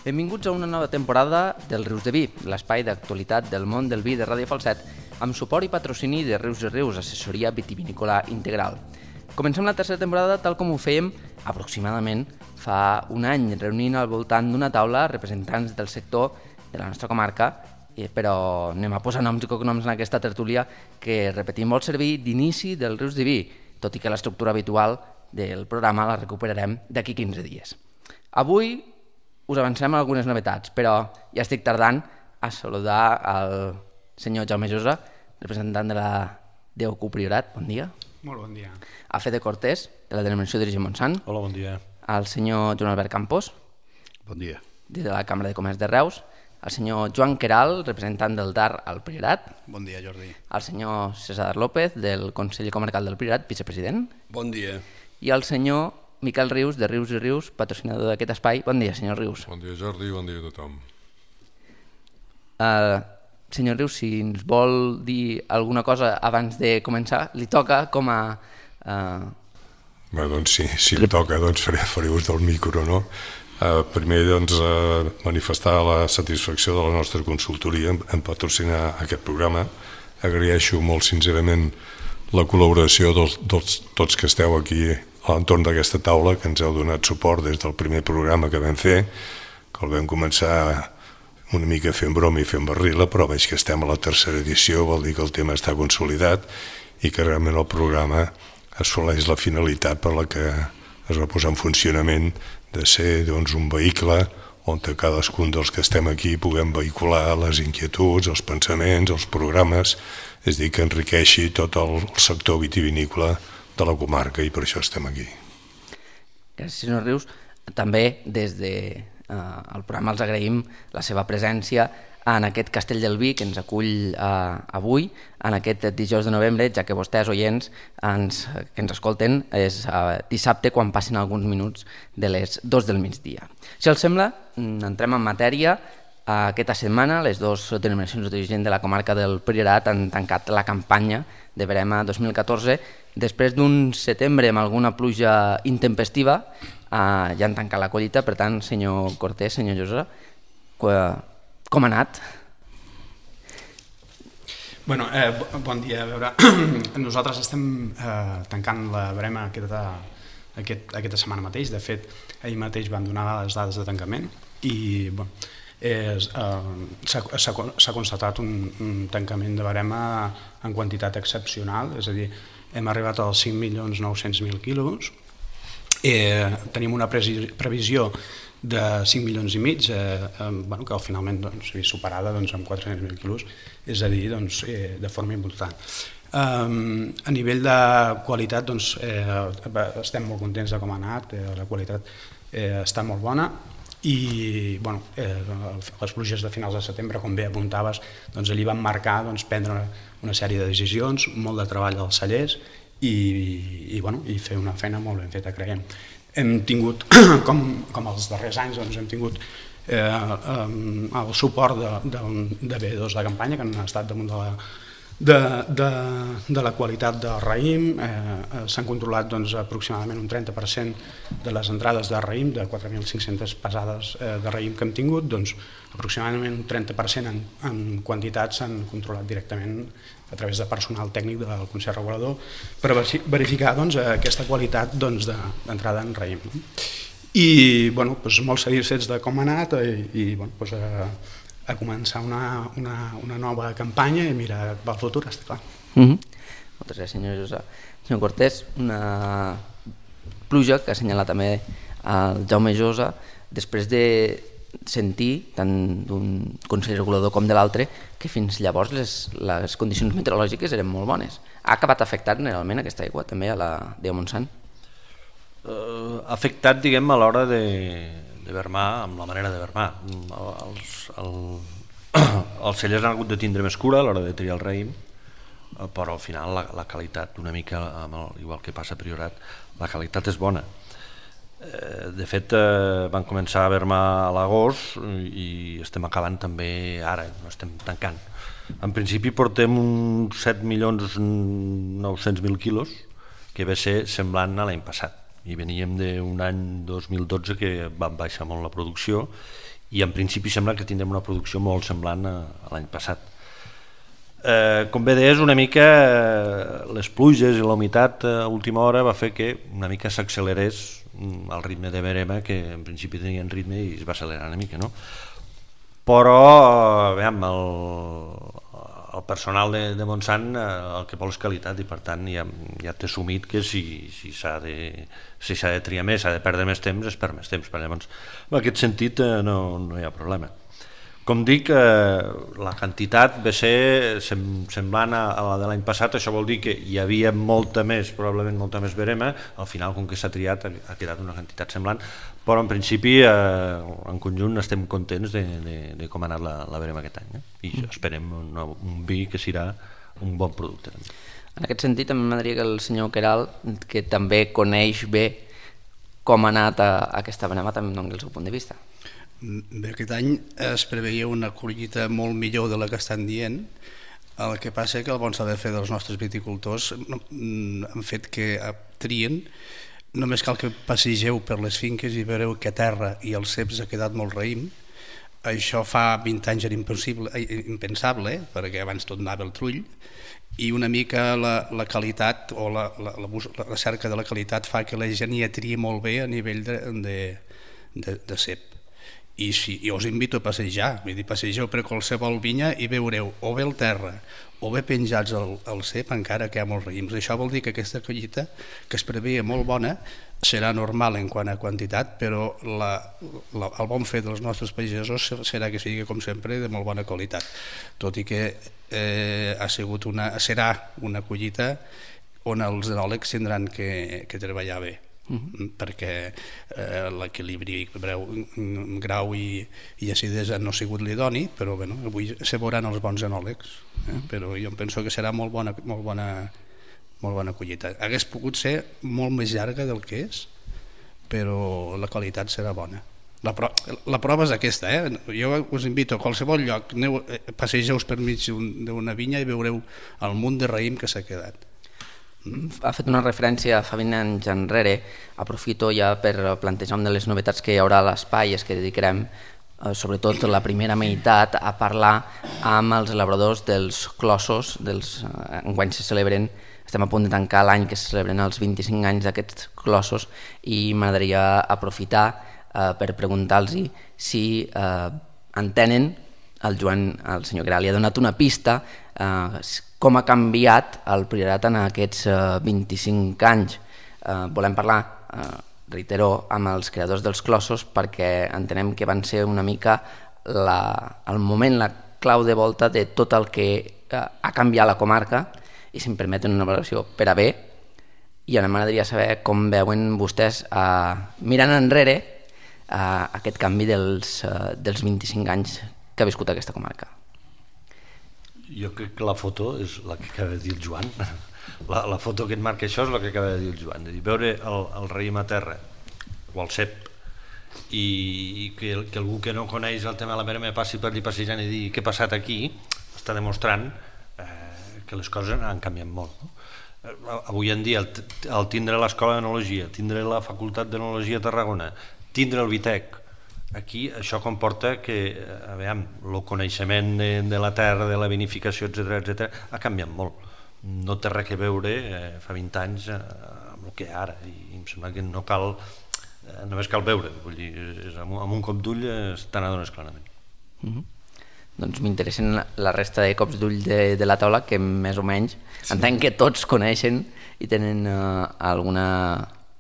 Benvinguts a una nova temporada del Rius de Vi, l'espai d'actualitat del món del vi de Ràdio Falset, amb suport i patrocini de Rius i Rius, assessoria vitivinícola integral. Comencem la tercera temporada tal com ho fèiem aproximadament fa un any, reunint al voltant d'una taula representants del sector de la nostra comarca, però anem a posar noms i cognoms en aquesta tertúlia que, repetim, vol servir d'inici del Rius de Vi, tot i que l'estructura habitual del programa la recuperarem d'aquí 15 dies. Avui us avancem algunes novetats, però ja estic tardant a saludar el senyor Jaume Josa, representant de la DOQ Priorat. Bon dia. Molt bon dia. A Fede Cortés, de la denominació d'origen Montsant. Hola, bon dia. Al senyor Joan Albert Campos. Bon dia. De la Cambra de Comerç de Reus. Al senyor Joan Queral, representant del DAR al Priorat. Bon dia, Jordi. Al senyor César López, del Consell Comarcal del Priorat, vicepresident. Bon dia. I al senyor Miquel Rius, de Rius i Rius, patrocinador d'aquest espai. Bon dia, senyor Rius. Bon dia, Jordi, bon dia a tothom. Senyor Rius, si ens vol dir alguna cosa abans de començar, li toca com a... Bé, doncs si em toca, doncs faré ús del micro, no? Primer, doncs, manifestar la satisfacció de la nostra consultoria en patrocinar aquest programa. Agraeixo molt sincerament la col·laboració tots que esteu aquí a l'entorn d'aquesta taula, que ens heu donat suport des del primer programa que vam fer, que el vam començar una mica fent broma i fent barrila, però veig que estem a la tercera edició, vol dir que el tema està consolidat i que realment el programa assoleix la finalitat per la que es va posar en funcionament de ser doncs, un vehicle on cadascun dels que estem aquí puguem vehicular les inquietuds, els pensaments, els programes, és a dir, que enriqueixi tot el sector vitivinícola de la comarca i per això estem aquí. Gràcies, senyor Rius. També des del programa els agraïm la seva presència en aquest Castell del Vi que ens acull avui, en aquest dijous de novembre, ja que vostès, oients, que ens escolten, és dissabte quan passin alguns minuts de les 2 del migdia. Si els sembla, entrem en matèria. Aquesta setmana les dues denominacions d'origen de la comarca del Priorat han tancat la campanya de verema 2014. Després d'un setembre amb alguna pluja intempestiva ja han tancat la collita. Per tant, senyor Cortés, senyor Josa, com ha anat? Bueno, bon dia. A veure, nosaltres estem tancant la verema aquesta setmana mateix. De fet, ahir mateix van donar les dades de tancament i s'ha constatat un tancament de verema en quantitat excepcional, és a dir, hem arribat als 5.900.000 quilos, tenim una previsió de 5,5 milions, que finalment s'ha vist superada amb 400.000 quilos, és a dir, de forma important. A nivell de qualitat estem molt contents de com ha anat, la qualitat està molt bona i les pluges de finals de setembre, com bé apuntaves, allí van marcar prendre una sèrie de decisions, molt de treball als cellers i fer una feina molt ben feta, creiem. Hem tingut, com els darrers anys, hem tingut el suport de B2 de campanya, que han estat damunt de la qualitat del raïm. S'han controlat aproximadament un 30% de les entrades de raïm, de 4.500 pesades de raïm que hem tingut, aproximadament un 30% en quantitats s'han controlat directament a través de personal tècnic del Consell Regulador per verificar aquesta qualitat d'entrada en raïm. I molt satisfets de com ha anat i a començar una nova campanya i mirar pel futur, està clar. Moltes gràcies, senyor Josa. Senyor Cortés, una pluja que ha assenyalat també el Jaume Josa, després de sentir, tant d'un Consell Regulador com de l'altre, que fins llavors les condicions meteorològiques eren molt bones. Ha acabat afectant realment aquesta aigua també a la DO Montsant? Ha afectat, diguem, a l'hora de vermar, amb la manera de vermar. Els cellers han hagut de tindre més cura a l'hora de triar el raïm, però al final la qualitat, una mica igual que passa a Priorat, la qualitat és bona. De fet, van començar a vermar a l'agost i estem acabant també ara, no estem tancant. En principi portem uns 7.900.000 quilos, que va ser semblant a l'any passat. I veníem d'un any 2012 que van baixar molt la producció i en principi sembla que tindrem una producció molt semblant a l'any passat. Com bé deies, una mica les pluges i la humitat a última hora va fer que una mica s'accelerés el ritme de verema, que en principi tenien ritme i es va accelerar una mica, no? Però veiem, el personal de Montsant el que vol és qualitat i per tant ja té assumit que si s'ha de triar més, s'ha de perdre més temps, es perd més temps. Llavors, en aquest sentit no hi ha problema. Com dic, la quantitat va ser semblant a la de l'any passat, això vol dir que hi havia probablement molta més verema, al final com que s'ha triat ha quedat una quantitat semblant, però en principi en conjunt estem contents de com ha anat la verema aquest any, i esperem un vi que serà un bon producte. En aquest sentit, també m'agradaria que el senyor Queralt, que també coneix bé com ha anat aquesta verema, també doni el seu punt de vista. Bé, aquest any es preveia una collita molt millor de la que estan dient. El que passa és que el bon saber fer dels nostres viticultors han fet que trien. Només cal que passegeu per les finques i veureu que a terra i als ceps ha quedat molt raïm. Això fa 20 anys era impensable, perquè abans tot anava al trull, i una mica la qualitat o la cerca de la qualitat fa que la gent ja tria molt bé a nivell de cep. I jo us invito a passejar, passegeu per qualsevol vinya i veureu o bé el terra o bé penjats al cep encara que hi ha molts raïms. Això vol dir que aquesta collita, que es preveia molt bona, serà normal en quant a quantitat, però el bon fer dels nostres pagesos serà que sigui, com sempre, de molt bona qualitat, tot i que serà una collita on els enòlegs tindran que treballar bé. Perquè l'equilibri grau i acidesa no ha sigut l'idoni, però avui se veuran els bons enòlegs, però jo penso que serà molt bona collita. Hagués pogut ser molt més llarga del que és, però la qualitat serà bona. La prova és aquesta, jo us invito a qualsevol lloc, passegeu per mig d'una vinya i veureu el munt de raïm que s'ha quedat. Ha fet una referència fa 20 anys enrere, aprofito ja per plantejar una de les novetats que hi haurà a l'espai, és que dedicarem sobretot la primera meitat a parlar amb els elaboradors dels clossos, enguany se celebren, estem a punt de tancar l'any que se celebren els 25 anys d'aquests clossos, i m'agradaria aprofitar per preguntar-los si entenen, el senyor Queralt li ha donat una pista, com ha canviat el priorat en aquests 25 anys. Volem parlar, reitero, amb els creadors dels clossos perquè entenem que van ser una mica el moment, la clau de volta de tot el que ha canviat la comarca, i si em permeten una valoració per a bé, i ara m'agradaria saber com veuen vostès, mirant enrere, aquest canvi dels 25 anys que ha viscut aquesta comarca. Jo crec que la foto és la que acaba de dir el Joan. La foto que et marca això és la que acaba de dir el Joan. Veure el raïm a terra o el cep i que algú que no coneix el tema de la verema passi per allà passejant i digui què ha passat aquí, està demostrant que les coses han canviat molt. Avui en dia el tindre l'escola d'enologia, tindre la facultat d'enologia a Tarragona, tindre el Vitec, aquí això comporta que el coneixement de la terra, de la vinificació, etc., ha canviat molt. No té res a veure fa 20 anys amb el que hi ha ara, i em sembla que no cal, només cal veure, vull dir, amb un cop d'ull te n'adones clarament. Doncs m'interessen la resta de cops d'ull de la taula, que més o menys entenc que tots coneixen i tenen alguna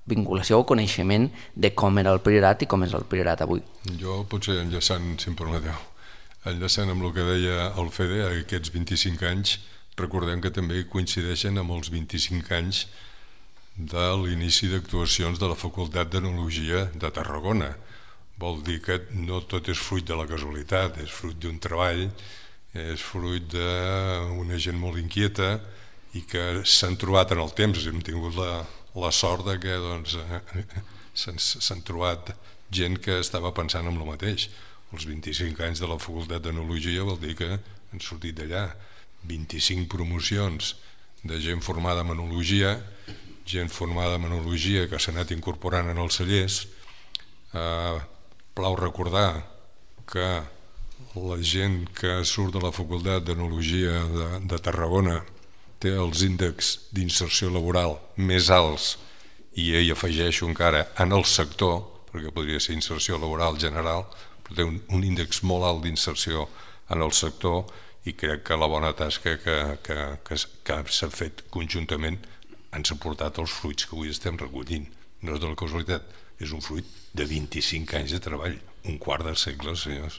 vinculació o coneixement de com era el priorat i com és el priorat avui. Jo potser enllaçant, si em permeteu, enllaçant amb el que deia el Fede, aquests 25 anys, recordem que també coincideixen amb els 25 anys de l'inici d'actuacions de la Facultat d'Enologia de Tarragona. Vol dir que no tot és fruit de la casualitat, és fruit d'un treball, és fruit d'una gent molt inquieta i que s'han trobat en el temps. Hem tingut la sort que s'han trobat gent que estava pensant en el mateix. Els 25 anys de la Facultat d'Enologia vol dir que han sortit d'allà 25 promocions de gent formada en enologia, gent formada en enologia que s'ha anat incorporant en els cellers. Plau recordar que la gent que surt de la Facultat d'Enologia de Tarragona té els índexs d'inserció laboral més alts, i hi afegeixo encara en el sector, perquè podria ser inserció laboral general, però té un índex molt alt d'inserció en el sector, i crec que la bona tasca que s'ha fet conjuntament ens ha portat els fruits que avui estem recollint. No és de la casualitat, és un fruit de 25 anys de treball, un quart de segle, senyors.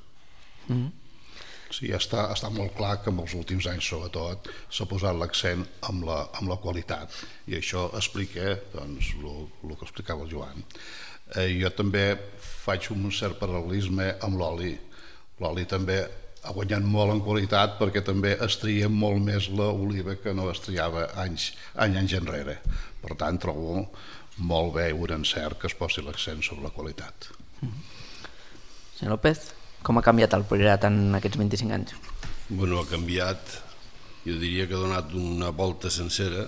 Sí, està molt clar que en els últims anys, sobretot, s'ha posat l'accent amb la qualitat, i això explica doncs, el que explicava el Joan. Jo també faig un cert paral·lelisme amb l'oli. L'oli també ha guanyat molt en qualitat perquè també es tria molt més l'oliva que no es triava anys enrere. Per tant, trobo molt bé i un encert que es posi l'accent sobre la qualitat. Senyor López, com ha canviat el Priorat en aquests 25 anys? Bueno, ha canviat, jo diria que ha donat una volta sencera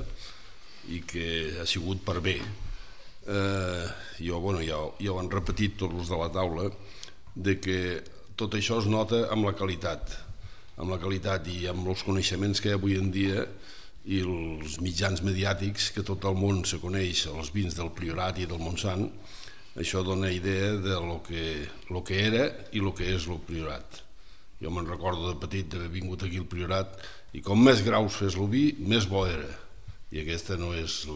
i que ha sigut per bé. Ja ho han repetit tots els de la taula, de que tot això es nota amb la qualitat i amb els coneixements que hi ha avui en dia i els mitjans mediàtics, que tot el món se coneix els vins del Priorat i del Montsant. Això dona idea de lo que era i el que és el Priorat. Jo me'n recordo de petit d'haver vingut aquí al Priorat, i com més graus fes el vi, més bo era, i aquesta no és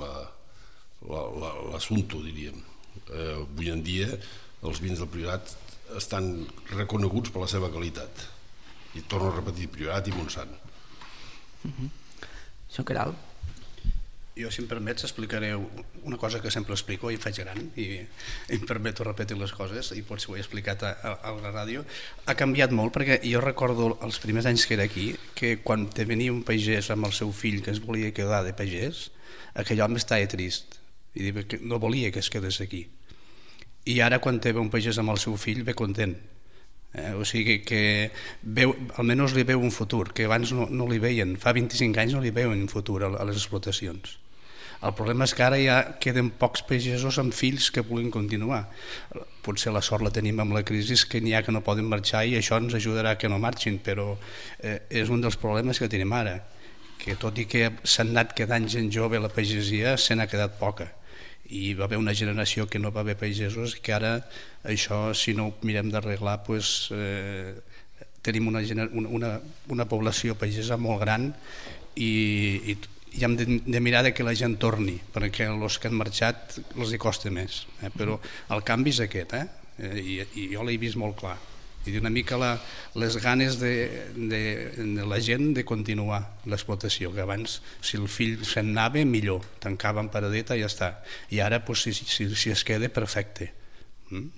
l'assumpte, diríem. Avui en dia els vins del Priorat estan reconeguts per la seva qualitat, i torno a repetir, Priorat i Montsant. Senyor Queralt? Jo, si em permets, explicaré una cosa que sempre explico i faig gran, i em permeto repetir les coses, i potser ho he explicat a la ràdio. Ha canviat molt, perquè jo recordo els primers anys que era aquí, que quan te venia un pagès amb el seu fill que es volia quedar de pagès, aquell home estava trist, i no volia que es quedés aquí. I ara, quan té un pagès amb el seu fill, ve content. O sigui que almenys li veu un futur, que abans no li veien, fa 25 anys no li veuen un futur a les explotacions. El problema és que ara ja queden pocs pagesos amb fills que puguin continuar. Potser la sort la tenim amb la crisi, que n'hi ha que no poden marxar, i això ens ajudarà que no marxin, però és un dels problemes que tenim ara, que tot i que s'han anat quedant gent jove a la pagesia, se n'ha quedat poca, i va haver una generació que no va haver pagesos, i que ara això, si no ho mirem d'arreglar, tenim una població pagesa molt gran, i hem de mirar que la gent torni, perquè els que han marxat els hi costa més, però el canvi és aquest, i jo l'he vist molt clar, i una mica les ganes de la gent de continuar l'explotació, que abans si el fill se'n anava millor, tancava en paradeta i ja està, i ara si es queda, perfecte,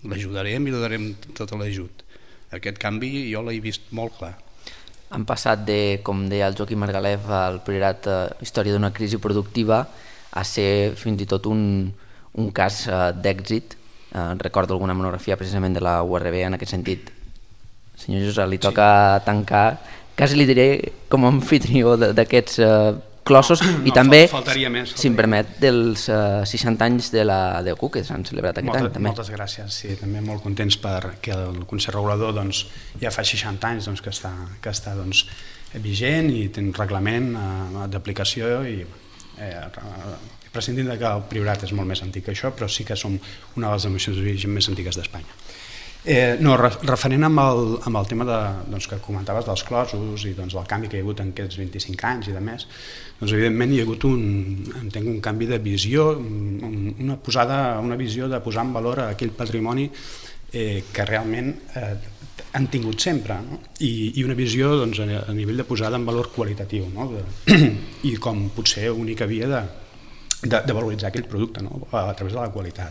l'ajudarem i li darem tot l'ajut. Aquest canvi jo l'he vist molt clar. Han passat de, com deia el Joaquim Margalef, el Priorat Història d'una crisi productiva, a ser fins i tot un cas d'èxit. Recordo alguna monografia precisament de la URB en aquest sentit. Senyor Josep, li toca tancar, quasi li diré com a anfitrió d'aquests clossos, i també, si em permet, dels 60 anys de la DEUC que s'han celebrat aquest any. Moltes gràcies, sí, també molt contents perquè el Consell Regulador ja fa 60 anys que està vigent i té un reglament d'aplicació, i prescindint que el Priorat és molt més antic que això, però sí que som una de les denominacions d'origen més antigues d'Espanya. Referent amb el tema que comentaves dels closos i del canvi que hi ha hagut en aquests 25 anys i de més, evidentment hi ha hagut un canvi de visió, una visió de posar en valor aquell patrimoni que realment han tingut sempre, i una visió a nivell de posada en valor qualitatiu, i com potser única via de valoritzar aquell producte a través de la qualitat.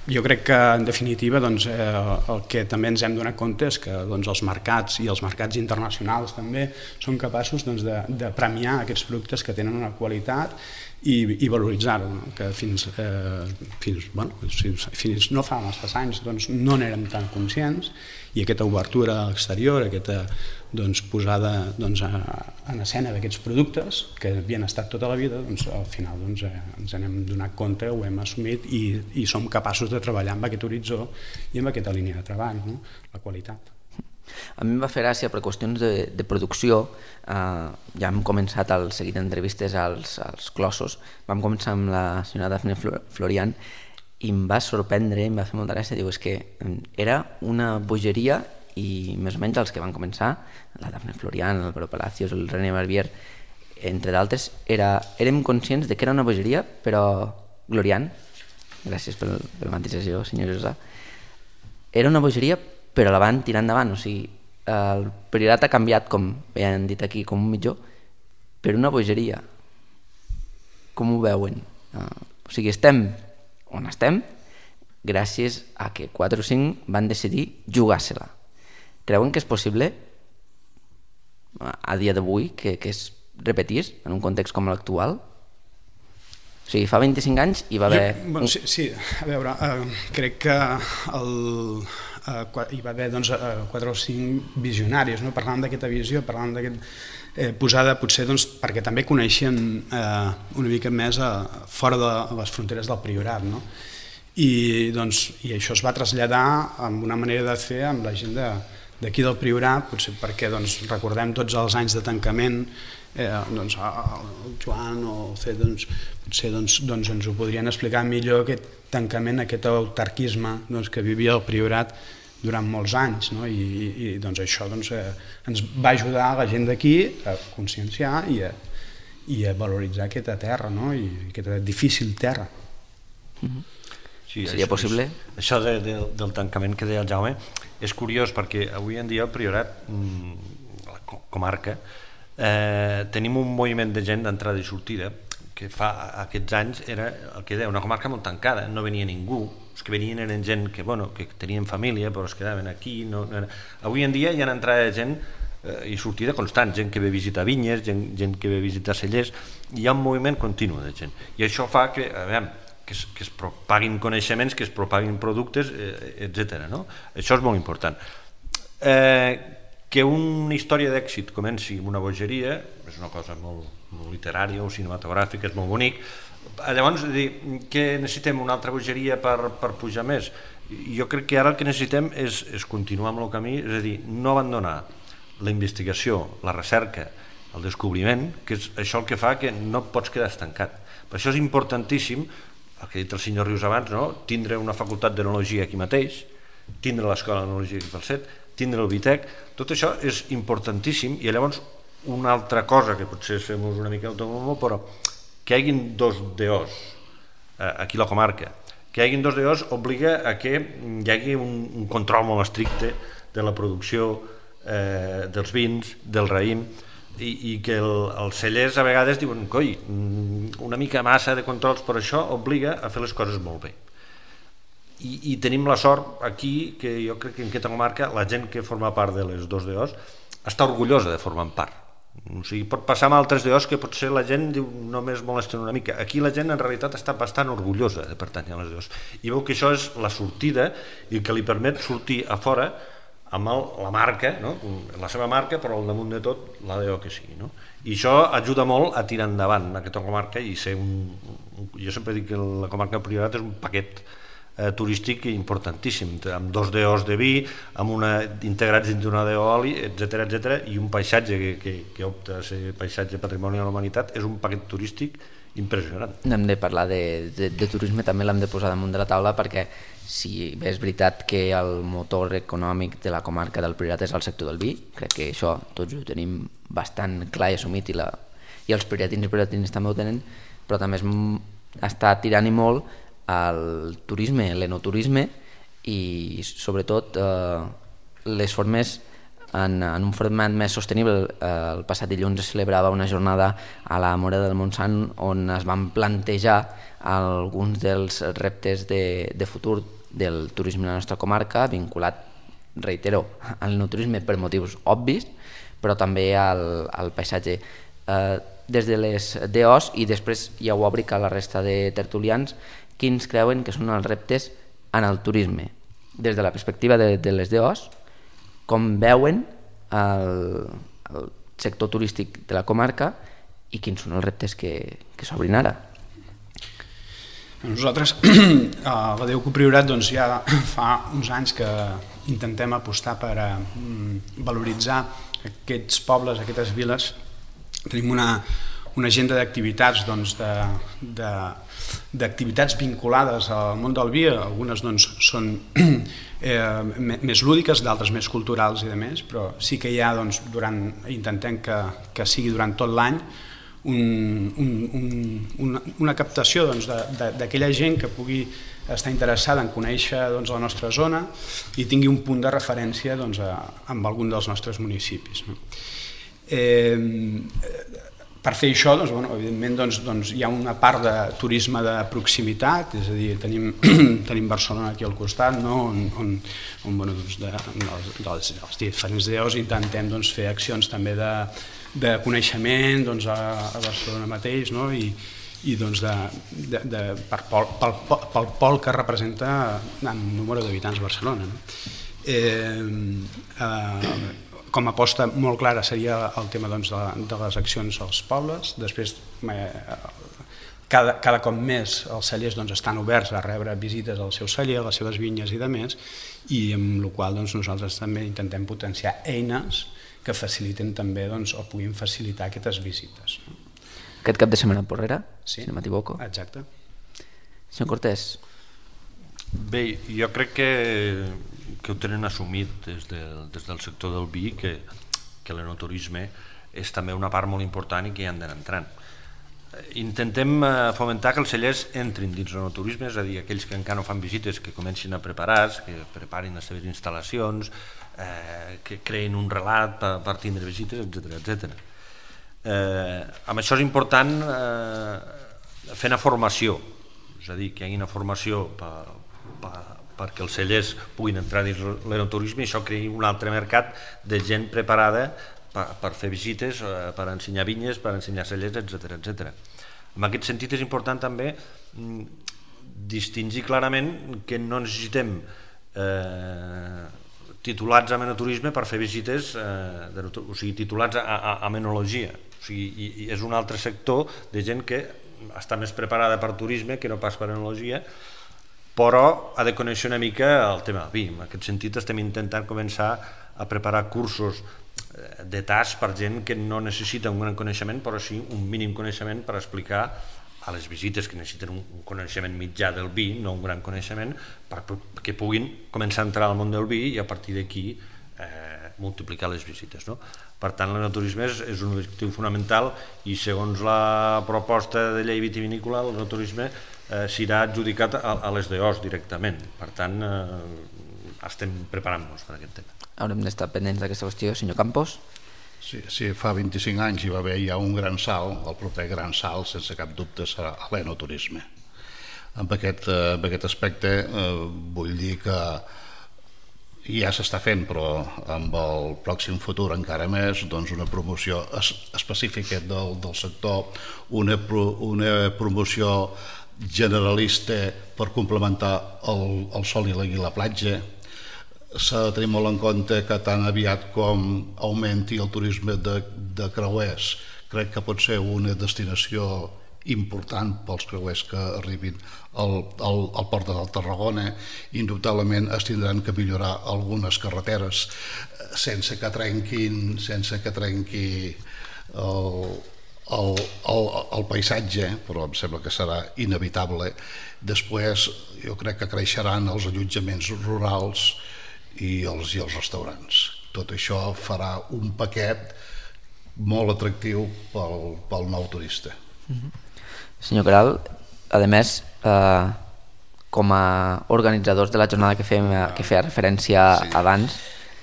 Jo crec que, en definitiva, el que també ens hem donat compte és que els mercats, i els mercats internacionals també, són capaços de premiar aquests productes que tenen una qualitat i valoritzar-ho, no? Que fins no fa massa anys doncs, no n'érem tan conscients, i aquesta obertura exterior, aquesta posada en escena d'aquests productes que havien estat tota la vida, al final ens n'hem donat compte, ho hem assumit i som capaços de treballar amb aquest horitzó i amb aquesta línia de treball, no? La qualitat. A mi em va fer gràcia per qüestions de producció. Ja hem començat el seguit d'entrevistes als Clossos, vam començar amb la senyora Dafne Florian i em va sorprendre, em va fer molta gràcia, diu, és que era una bogeria, i més o menys els que van començar, la Dafne Florian, l'Álvaro Palacios, el René Barbier, entre d'altres, érem conscients de que era una bogeria, però gloriant, gràcies per la matisació, senyor Josà, era una bogeria però la van tirar endavant, o sigui, el Priorat ha canviat, com bé han dit aquí, com un mitjó, per una bogeria. Com ho veuen? O sigui, estem on estem gràcies a que 4 o 5 van decidir jugar-se-la. Creuen que és possible a dia d'avui que es repetís en un context com l'actual? O sigui, fa 25 anys hi va haver... Sí, a veure, crec que hi va haver 4 o 5 visionaris, no? Parlant d'aquesta visió, parlant d'aquest posada potser perquè també coneixien una mica més fora de les fronteres del Priorat, no? I això es va traslladar amb una manera de fer amb la gent d'aquí del Priorat, potser perquè recordem tots els anys de tancament, el Joan o el C potser ens ho podrien explicar millor, aquest tancament, aquest autarquisme que vivia el Priorat durant molts anys, no? I això ens va ajudar a la gent d'aquí a conscienciar i a valoritzar aquesta terra, no? I aquesta difícil terra. Sí, seria possible? Això del tancament que deia el Jaume és curiós perquè avui en dia el Priorat, la comarca, tenim un moviment de gent d'entrada i sortida que fa aquests anys era el que deia, una comarca molt tancada, no venia ningú, els que venien eren gent que tenien família però es quedaven aquí. Avui en dia hi ha entrada de gent i sortida constant, gent que ve a visitar vinyes, gent que ve a visitar cellers, hi ha un moviment continu de gent i això fa que es propaguin coneixements, que es propaguin productes, etc. Això és molt important. Que una història d'èxit comenci amb una bogeria és una cosa molt literària o cinematogràfica, és molt bonic. Llavors, què necessitem? Una altra bogeria per pujar més? Jo crec que ara el que necessitem és continuar amb el camí, és a dir, no abandonar la investigació, la recerca, el descobriment, que és això el que fa que no pots quedar estancat. Per això és importantíssim, el que ha dit el senyor Rius abans, tindre una facultat d'enologia aquí mateix, tindre l'escola d'enologia aquí pel CET, tindre el BITEC, tot això és importantíssim. I llavors una altra cosa que potser fem una mica autònomo, però que hi hagin 2 DOs aquí a la comarca, que hi hagin 2 DOs obliga a que hi hagi un control molt estricte de la producció dels vins, del raïm, i que els cellers a vegades diuen coi, una mica massa de controls, però això obliga a fer les coses molt bé. I tenim la sort aquí que jo crec que en aquesta comarca la gent que forma part de les 2 DOs està orgullosa de formar part. O sigui, pot passar amb altres DOs que potser la gent diu només molesten una mica. Aquí la gent en realitat està bastant orgullosa de pertànyer a les DOs i veu que això és la sortida i que li permet sortir a fora amb la marca, la seva marca, però al damunt de tot la DO que sigui. I això ajuda molt a tirar endavant aquesta comarca i ser jo sempre dic que la comarca del Priorat és un paquet turístic importantíssim, amb 2 DOs de vi, integrats dins d'una DO oli, etc. I un paisatge que opta a ser paisatge patrimoni de la humanitat, és un paquet turístic impressionant. Hem de parlar de turisme, també l'hem de posar damunt de la taula, perquè si bé és veritat que el motor econòmic de la comarca del Priorat és el sector del vi, crec que això tots ho tenim bastant clar i assumit, i els prioratins i prioratines també ho tenen, però també està tirant-hi molt el turisme, l'enoturisme i sobretot les formes en un format més sostenible. El passat dilluns es celebrava una jornada a la Mora del Montsant on es van plantejar alguns dels reptes de futur del turisme a la nostra comarca, vinculat, reitero, al no turisme per motius obvis, però també al paisatge. des de les DOs, i després ja ho obric a la resta de tertulians, quins creuen que són els reptes en el turisme? Des de la perspectiva de les DOs, com veuen el sector turístic de la comarca i quins són els reptes que s'obrin ara? Nosaltres, a la Déu Priorat, ja fa uns anys que intentem apostar per valoritzar aquests pobles, aquestes viles. Tenim una agenda d'activitats, d'activitats vinculades al món del vi. Algunes són més lúdiques, d'altres més culturals i demés, però sí que hi ha, intentem que sigui durant tot l'any, una captació d'aquella gent que pugui estar interessada en conèixer la nostra zona i tingui un punt de referència amb algun dels nostres municipis. Per fer això, evidentment, hi ha una part de turisme de proximitat, és a dir, tenim Barcelona aquí al costat, on dels diferents DOs intentem fer accions també de coneixement a Barcelona mateix, i pel pol que representa en número d'habitants Barcelona. Com a aposta molt clara seria el tema de les accions als pobles. Després, cada cop més els cellers estan oberts a rebre visites al seu celler, a les seves vinyes i demés, i amb la qual nosaltres també intentem potenciar eines que faciliten també o puguin facilitar aquestes visites. Aquest cap de setmana a Porrera, sí, si no m'equivoco. Exacte. Senyor Cortés. Bé, jo crec que ho tenen assumit des del sector del vi, que l'enoturisme és també una part molt important i que hi han d'anar entrant. Intentem fomentar que els cellers entrin dins l'enoturisme, és a dir, aquells que encara no fan visites, que comencin a preparar-se, que preparin les seves instal·lacions, que creïn un relat per tindre visites, etc. Amb això és important fer una formació, és a dir, que hi hagi una formació perquè els cellers puguin entrar dins l'enoturisme i això creï un altre mercat de gent preparada per fer visites, per ensenyar vinyes, per ensenyar cellers, etc. En aquest sentit és important també distingir clarament que no necessitem titulats en enoturisme per fer visites, o sigui, titulats en enologia. O sigui, és un altre sector de gent que està més preparada per turisme que no pas per enologia, però ha de conèixer una mica el tema del vi. En aquest sentit estem intentant començar a preparar cursos de tas per gent que no necessita un gran coneixement, però sí un mínim coneixement per explicar a les visites que necessiten un coneixement mitjà del vi, no un gran coneixement, perquè puguin començar a entrar al món del vi i a partir d'aquí multiplicar les visites. Per tant, l'enoturisme és un objectiu fonamental i segons la proposta de llei vitivinícola, l'enoturisme serà adjudicat a les DOs directament. Per tant, estem preparant-nos per aquest tema. Haurem d'estar pendents d'aquesta qüestió. Senyor Campos? Sí, fa 25 anys hi va haver ja un gran salt, el proper gran salt, sense cap dubte, serà l'enoturisme. En aquest aspecte vull dir que ja s'està fent, però amb el pròxim futur encara més, una promoció específica del sector, una promoció generalista per complementar el sol i la platja. S'ha de tenir molt en compte que tan aviat com augmenti el turisme de creuers, crec que pot ser una destinació important pels creuers que arribin al port de Tarragona. Indubtablement es tindran que millorar algunes carreteres sense que trenqui el paisatge, però em sembla que serà inevitable. Després jo crec que creixeran els allotjaments rurals i els restaurants. Tot això farà un paquet molt atractiu pel nou turista. Senyor Caral, a més, com a organitzadors de la jornada que feia referència abans...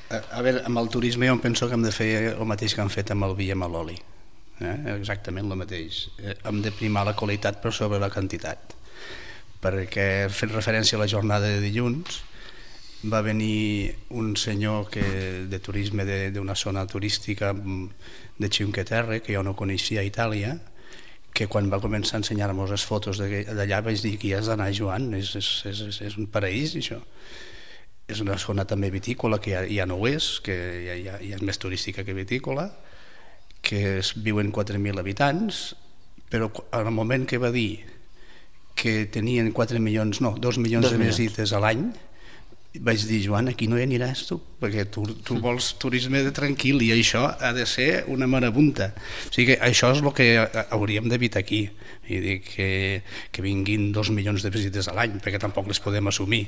A veure, amb el turisme jo penso que hem de fer el mateix que han fet amb el vi i amb l'oli. Exactament el mateix. Hem de primar la qualitat per sobre la quantitat. Perquè fent referència a la jornada de dilluns, va venir un senyor de turisme d'una zona turística de Cinque Terre, que jo no coneixia a Itàlia, que quan va començar a ensenyar-nos les fotos d'allà vaig dir que hi has d'anar, Joan, és un paraís això. És una zona també vitícola que ja no ho és, que ja és més turística que vitícola, que viuen 4.000 habitants, però al moment que va dir que tenien 2 milions de visites a l'any, vaig dir, Joan, aquí no hi aniràs tu, perquè tu vols turisme tranquil i això ha de ser una marabunta. O sigui que això és el que hauríem d'evitar aquí, que vinguin 2 milions de visites a l'any, perquè tampoc les podem assumir.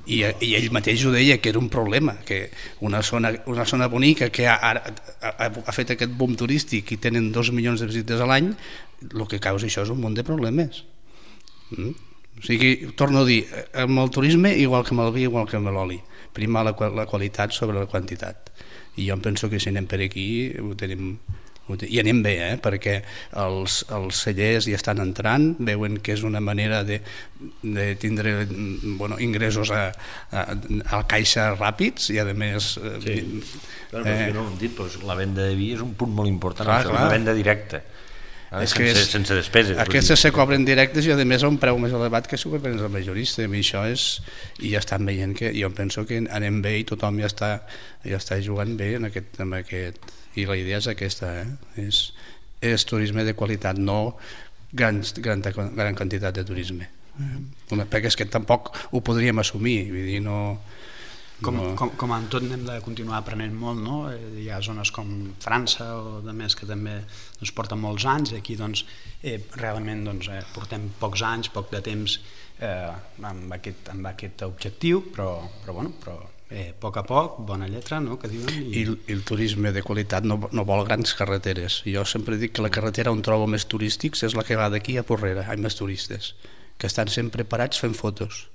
I ell mateix ho deia, que era un problema, que una zona bonica que ha fet aquest boom turístic i tenen 2 milions de visites a l'any, el que causa això és un munt de problemes. O sigui, torno a dir, amb el turisme igual que amb el vi, igual que amb l'oli, primar la qualitat sobre la quantitat, i jo em penso que si anem per aquí i anem bé, perquè els cellers ja estan entrant, veuen que és una manera de tindre ingressos a caixa ràpids i a més... No ho hem dit, però la venda de vi és un punt molt important, una venda directa, sense despeses. Aquestes se cobren directes i a més a un preu més elevat que si ho vens al majorista, i això és, i ja estan veient que jo penso que anem bé i tothom ja està jugant bé en aquest, i la idea és aquesta, és turisme de qualitat, no gran quantitat de turisme, perquè és que tampoc ho podríem assumir, vull dir, no... Com en tot hem de continuar aprenent molt, no? Hi ha zones com França o de més que també porten molts anys, i aquí realment portem pocs anys, poc de temps amb aquest objectiu, però a poc a poc, bona lletra, no? Que diuen. I el turisme de qualitat no vol grans carreteres. Jo sempre dic que la carretera on trobo més turístics és la que va d'aquí a Porrera, hi ha més turistes, que estan sempre parats fent fotos.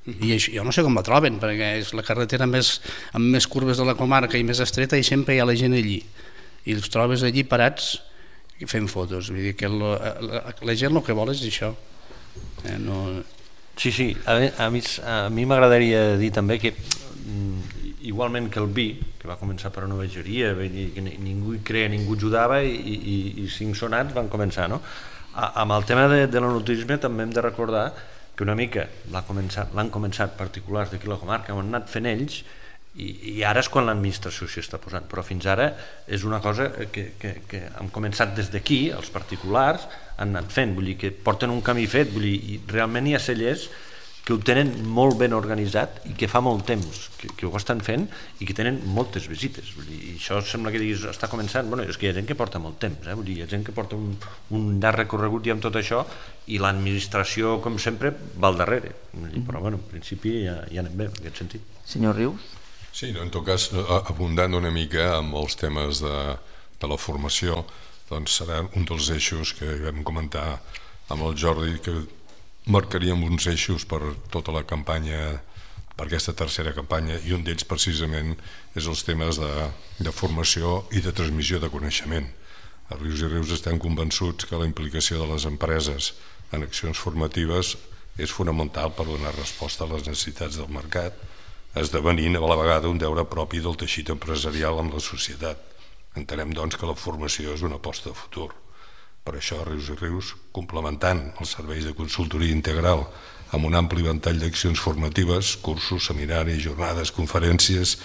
I jo no sé com la troben, perquè és la carretera amb més curves de la comarca i més estreta, i sempre hi ha la gent allí i els trobes allí parats fent fotos. Vull dir que la gent el que vol és això. Sí, a mi m'agradaria dir també que igualment que el vi, que va començar per una vegeria, que ningú hi creia, ningú ajudava, i 5 sonats van començar, no? Amb el tema de l'enoturisme també hem de recordar que una mica l'han començat particulars d'aquí la comarca, ho han anat fent ells, i ara és quan l'administració s'hi està posant, però fins ara és una cosa que han començat des d'aquí, els particulars han anat fent, vull dir que porten un camí fet, vull dir, i realment hi ha cellers que ho tenen molt ben organitzat i que fa molt temps que ho estan fent i que tenen moltes visites. Vull dir, això sembla que diguis, està començant, bueno, és que hi ha gent que porta molt temps, vull dir, hi ha gent que porta un llarg recorregut i amb tot això, i l'administració, com sempre, va al darrere. Però, bueno, en principi ja anem bé, en aquest sentit. Senyor Rius? Sí, en tot cas, abundant una mica amb els temes de la formació, doncs serà un dels eixos que vam comentar amb el Jordi, que marcaríem uns eixos per tota la campanya, per aquesta tercera campanya, i un d'ells precisament és els temes de formació i de transmissió de coneixement. A Rius i Rius estem convençuts que la implicació de les empreses en accions formatives és fonamental per donar resposta a les necessitats del mercat, esdevenint a la vegada un deure propi del teixit empresarial amb la societat. Entenem, doncs, que la formació és una aposta de futur. Per això, Rius i Rius, complementant els serveis de consultoria integral amb un ampli ventall d'accions formatives, cursos, seminaris, jornades, conferències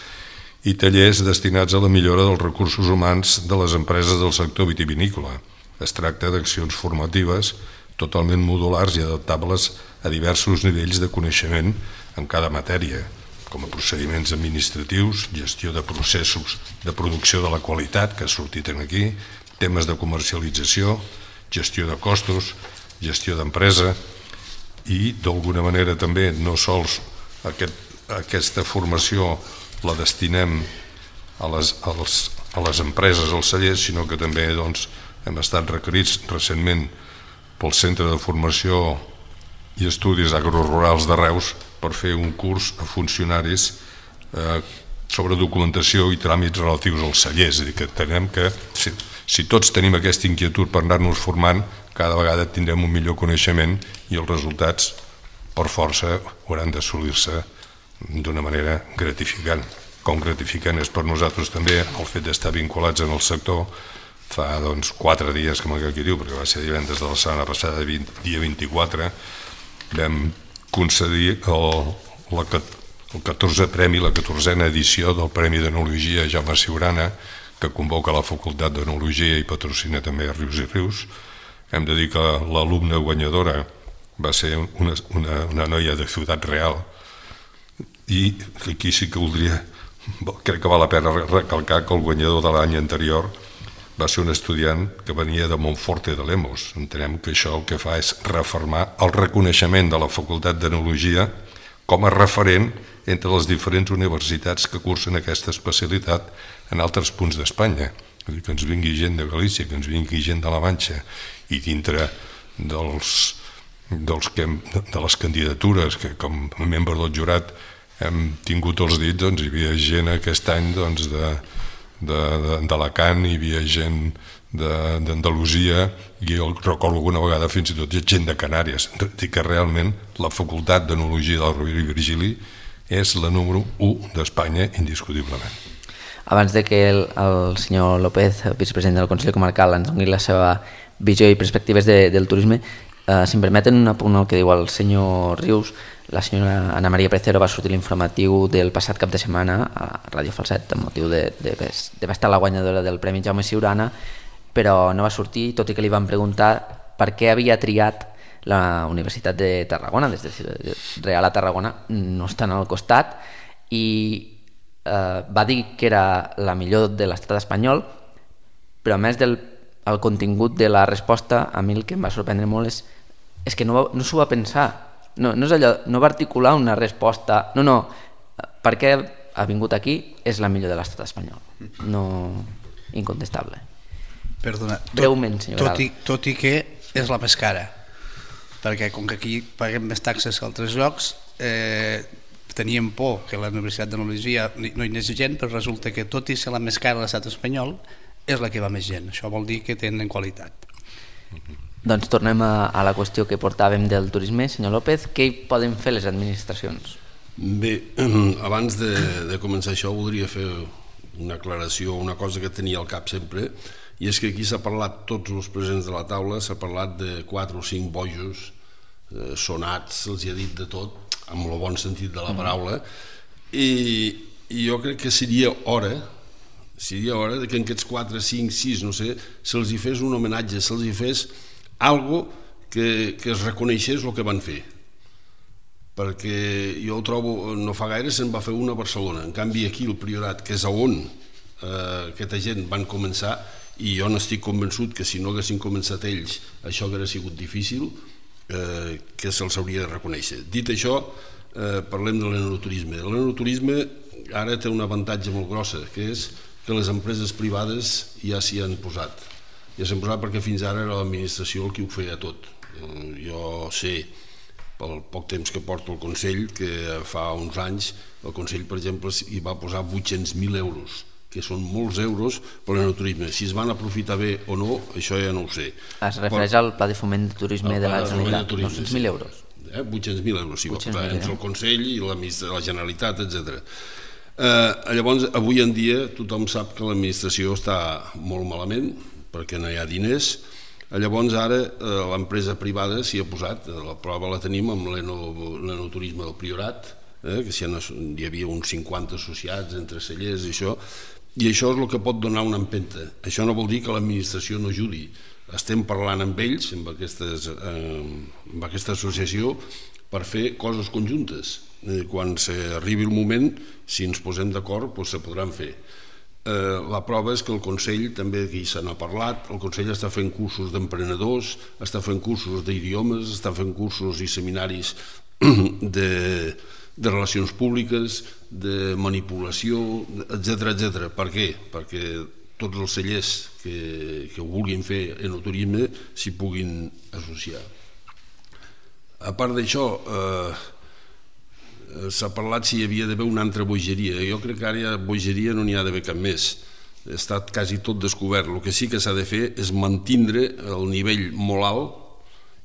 i tallers destinats a la millora dels recursos humans de les empreses del sector vitivinícola. Es tracta d'accions formatives totalment modulars i adaptables a diversos nivells de coneixement en cada matèria, com a procediments administratius, gestió de processos de producció de la qualitat, que ha sortit aquí, temes de comercialització, gestió de costos, gestió d'empresa, i d'alguna manera també no sols aquesta formació la destinem a les empreses, als cellers, sinó que també hem estat requerits recentment pel Centre de Formació i Estudis Agrorurals de Reus per fer un curs a funcionaris sobre documentació i tràmits relatius als cellers. És a dir, que entenem que si tots tenim aquesta inquietud per anar-nos formant, cada vegada tindrem un millor coneixement i els resultats, per força, hauran d'assolir-se d'una manera gratificant. Com gratificant és per nosaltres també el fet d'estar vinculats en el sector. Fa 4 dies, com aquí diu, perquè va ser divendres de la setmana passada, dia 24, vam concedir el 14è premi, la 14a edició del Premi d'Enologia Jaume Siurana, que convoca la Facultat d'Enologia i patrocina també Rius i Rius. Hem de dir que l'alumna guanyadora va ser una noia de Ciutat Real, i aquí sí que crec que val la pena recalcar que el guanyador de l'any anterior va ser un estudiant que venia de Montforte de Lemos. Entenem que això el que fa és refermar el reconeixement de la Facultat d'Enologia com a referent entre les diferents universitats que cursen aquesta especialitat en altres punts d'Espanya. Que ens vingui gent de Galícia, que ens vingui gent de la Manxa, i dintre de les candidatures que com a membre del jurat hem tingut els dits, hi havia gent aquest any d'Alacant, hi havia gent d'Andalusia, i jo recordo alguna vegada fins i tot gent de Canàries. Dic que realment la Facultat d'Enologia del Rovira i Virgili és la número 1 d'Espanya, indiscutiblement. Abans de que el senyor López, vicepresident del Consell Comarcal, ens doni la seva visió i perspectives del turisme, si em permeten un apunt al que diu el senyor Rius, la senyora Ana Maria Precero va sortir l'informatiu del passat cap de setmana a Ràdio Falset amb motiu d'haver estat la guanyadora del Premi Jaume Siurana, però no va sortir, tot i que li van preguntar per què havia triat la Universitat de Tarragona, des de Real a Tarragona, no estan al costat, i va dir que era la millor de l'estat espanyol, però a més del contingut de la resposta, a mi el que em va sorprendre molt és que no s'ho va pensar. No és allò, no va articular una resposta, no, per què ha vingut aquí és la millor de l'estat espanyol, no incontestable. Perdona, breument, senyor Grau. Tot i que és la més cara, perquè com que aquí paguem més taxes que altres llocs, teníem por que la Universitat d'Enologia no hi anés gent, però resulta que tot i ser la més cara de l'estat espanyol és la que va més gent. Això vol dir que tenen qualitat. Doncs tornem a la qüestió que portàvem del turisme. Senyor López, què hi poden fer les administracions? Bé, abans de començar això voldria fer una aclaració, una cosa que tenia al cap sempre, i és que aquí s'ha parlat, tots els presents de la taula, s'ha parlat de 4 o 5 bojos sonats, se'ls ha dit de tot, amb el bon sentit de la paraula, i jo crec que seria hora que en aquests 4, 5, 6, no sé, se'ls hi fes un homenatge, se'ls hi fes algo que es reconeixés el que van fer, perquè jo ho trobo, no fa gaire se'n va fer una a Barcelona, en canvi aquí el Priorat, que és on aquesta gent van començar, i jo n'estic convençut que si no haguessin començat ells això hauria sigut difícil, que se'ls hauria de reconèixer. Dit això, parlem de l'enoturisme. L'enoturisme ara té un avantatge molt grossa, que és que les empreses privades ja s'hi han posat. Ja s'han posat perquè fins ara era l'administració el que ho feia tot. Jo sé, pel poc temps que porto al Consell, que fa uns anys el Consell, per exemple, hi va posar 800.000 euros, que són molts euros per l'enoturisme. Si es van aprofitar bé o no, això ja no ho sé. Es refereix al Pla de Foment de Turisme de la Generalitat, 900.000 euros. 800.000 euros, sí, entre el Consell i la Generalitat, etc. Llavors, avui en dia, tothom sap que l'administració està molt malament, perquè no hi ha diners. Llavors, ara, l'empresa privada s'hi ha posat, la prova la tenim amb l'enoturisme del Priorat, que hi havia uns 50 associats entre cellers i això és el que pot donar una empenta. Això no vol dir que l'administració no ajudi. Estem parlant amb ells, amb aquesta associació, per fer coses conjuntes. Quan arribi el moment, si ens posem d'acord, se podran fer. La prova és que el Consell, també aquí se n'ha parlat, el Consell està fent cursos d'emprenedors, està fent cursos d'idiomes, està fent cursos i seminaris de relacions públiques, de manipulació, etc. Per què? Perquè tots els cellers que ho vulguin fer enoturisme s'hi puguin associar. A part d'això, s'ha parlat si hi havia d'haver una altra bogeria. Jo crec que ara bogeria no n'hi ha d'haver cap més. Ha estat quasi tot descobert. El que sí que s'ha de fer és mantindre el nivell molt alt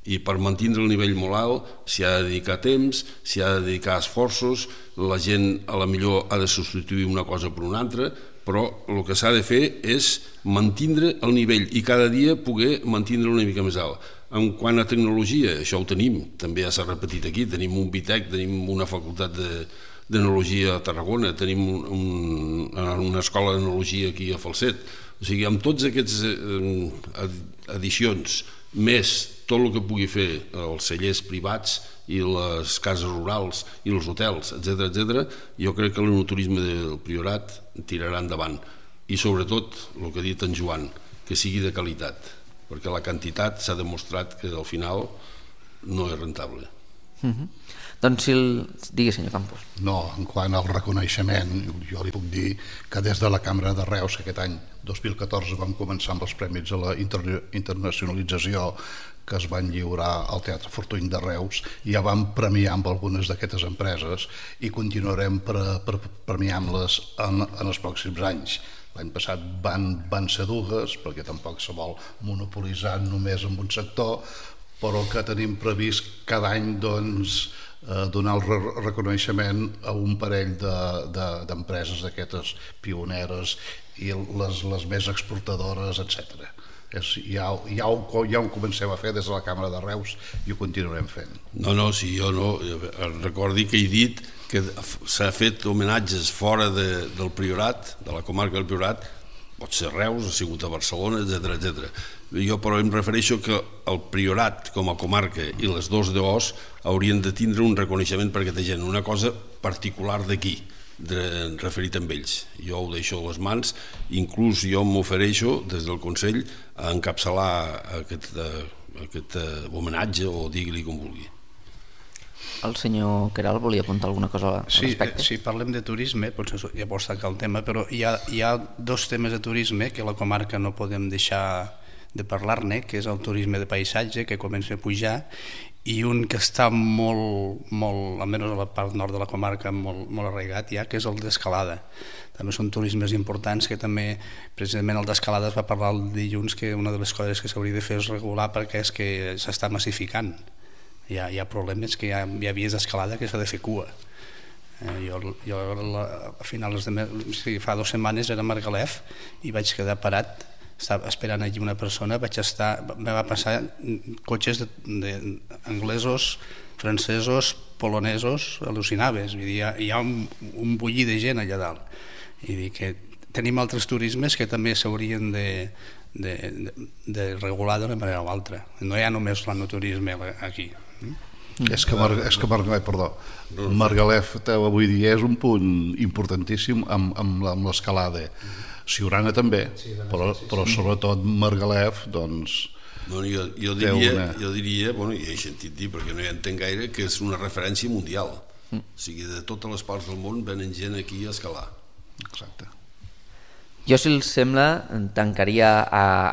i per mantenir el nivell molt alt s'hi ha de dedicar temps, s'hi ha de dedicar esforços, la gent a la millor ha de substituir una cosa per una altra, però el que s'ha de fer és mantenir el nivell i cada dia poder mantenir-lo una mica més alt. En quant a tecnologia, això ho tenim, també ja s'ha repetit aquí, tenim un BITEC, tenim una facultat d'enologia a Tarragona, tenim una escola d'enologia aquí a Falset. O sigui, amb tots aquests addicions, més tot el que pugui fer els cellers privats i les cases rurals i els hotels, etc., jo crec que l'enoturisme del Priorat tirarà endavant. I sobretot, el que ha dit en Joan, que sigui de qualitat, perquè la quantitat s'ha demostrat que al final no és rentable. Doncs digui, senyor Campos. No, en quant al reconeixement, jo li puc dir que des de la Cambra de Reus, que aquest any 2014 vam començar amb els premis a la internacionalització que es van lliurar al Teatre Fortuny de Reus, ja vam premiar amb algunes d'aquestes empreses i continuarem premiant-les en els pròxims anys. L'any passat van ser dues, perquè tampoc se vol monopolitzar només en un sector, però que tenim previst cada any donar el reconeixement a un parell d'empreses d'aquestes pioneres i les més exportadores, etc. Ja ho comencem a fer des de la Càmera de Reus i ho continuarem fent. No, sí, jo no. Recordi que he dit que s'ha fet homenatges fora del Priorat, de la comarca del Priorat, pot ser Reus, ha sigut a Barcelona, etc. Jo però em refereixo que el Priorat com a comarca i les dos DOs haurien de tindre un reconeixement per aquesta gent, una cosa particular d'aquí, referit amb ells. Jo ho deixo a les mans, inclús jo m'ofereixo des del Consell a encapçalar aquest homenatge, o digui-li com vulgui. El senyor Queralt volia apuntar alguna cosa al respecte? Sí, parlem de turisme, potser ja pots tancar el tema, però hi ha dos temes de turisme que a la comarca no podem deixar de parlar-ne, que és el turisme de paisatge, que comença a pujar, i un que està molt, almenys a la part nord de la comarca, molt arraigat ja, que és el d'escalada. També són turismes importants que també, precisament el d'escalada es va parlar el dilluns, que una de les coses que s'hauria de fer és regular perquè és que s'està massificant. Hi ha problemes que hi ha vies d'escalada que s'ha de fer cua. Jo a finals fa 2 setmanes era a Margalef i vaig quedar parat, estava esperant allí una persona, me va passar cotxes anglesos, francesos, polonesos, al·lucinaves, hi ha un bullir de gent allà dalt. I dic que tenim altres turismes que també s'haurien de regular d'una manera o altra. No hi ha només l'enoturisme aquí. És que Margalef avui dia és un punt importantíssim amb l'escalada. Siurana també, però sobretot Margalef, doncs... Jo diria, i he sentit dir, perquè no hi entenc gaire, que és una referència mundial. O sigui, de totes les parts del món venen gent aquí a escalar. Exacte. Jo, si els sembla, tancaria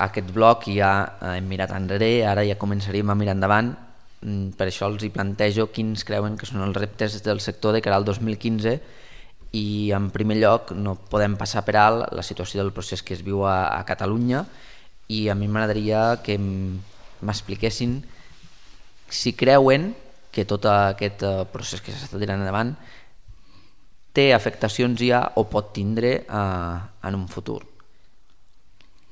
aquest bloc i ja hem mirat enrere, ara ja començaríem a mirar endavant. Per això els hi plantejo quins creuen que són els reptes del sector de cara al 2015 i en primer lloc no podem passar per alt la situació del procés que es viu a Catalunya i a mi m'agradaria que m'expliquessin si creuen que tot aquest procés que s'està tirant endavant té afectacions ja o pot tindre en un futur.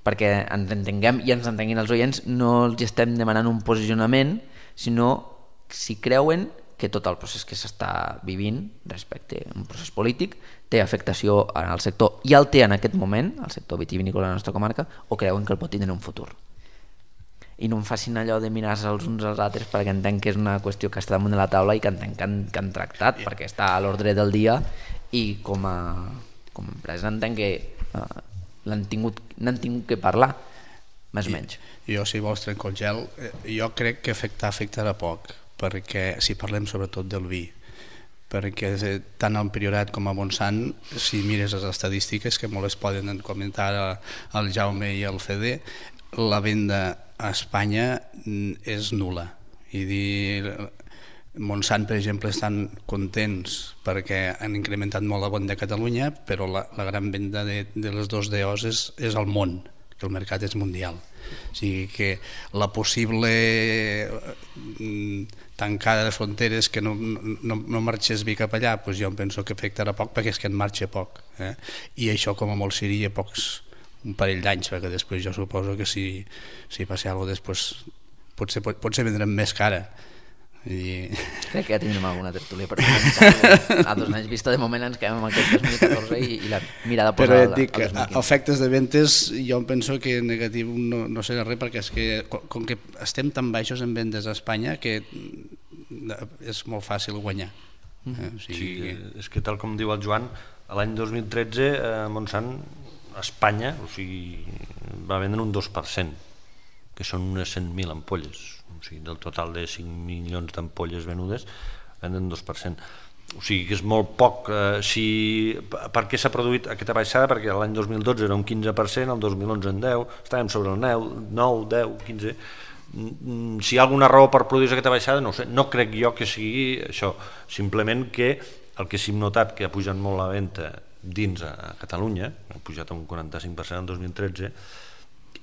Perquè ens entenguem i ens entenguin els oients, no els estem demanant un posicionament, sinó si creuen que tot el procés que s'està vivint respecte a un procés polític té afectació en el sector i el té en aquest moment, el sector vitivinícola de la nostra comarca, o creuen que el pot tindre en un futur. I no em facin allò de mirar-se els uns als altres perquè entenc que és una qüestió que està damunt de la taula i que entenc que han tractat perquè està a l'ordre del dia i com a empresa entenc que n'han tingut que parlar, més o menys. Jo, si vols trencar el gel, jo crec que afectarà poc, perquè si parlem sobretot del vi, perquè tant al Priorat com a Montsant, si mires les estadístiques, que molt es poden comentar el Jaume i el Fede, la venda a Espanya és nul·la. I dir, Montsant, per exemple, estan contents perquè han incrementat molt la venda a Catalunya, però la gran venda de les dos DOs és al món, que el mercat és mundial. O sigui que la possible tancada de fronteres, que no marxés vi cap allà, doncs jo em penso que afectarà poc, perquè és que en marxa poc. I això com a molt seria un parell d'anys, perquè després jo suposo que si passa alguna cosa després potser vendrem més cara. Crec que ja tindrem alguna tertúlia per començar a 2 anys vista. De moment ens quedem amb aquest 2014 i la mirada posada al 2015. Però et dic que efectes de ventes jo em penso que negatiu no serà res, perquè és que com que estem tan baixos en vendes a Espanya que és molt fàcil guanyar. Sí, és que tal com diu el Joan, l'any 2013 Montsant a Espanya va vendre un 2%, que són unes 100.000 ampolles. O sigui, del total de 5 milions d'ampolles venudes, venden 2%. O sigui que és molt poc. Per què s'ha produït aquesta baixada? Perquè l'any 2012 era un 15%, el 2011 en 10%, estàvem sobre el 9, 10, 15%. Si hi ha alguna raó per produir aquesta baixada, no ho sé. No crec jo que sigui això. Simplement que el que sí hem notat que ha pujat molt la venda dins a Catalunya, ha pujat un 45% en 2013,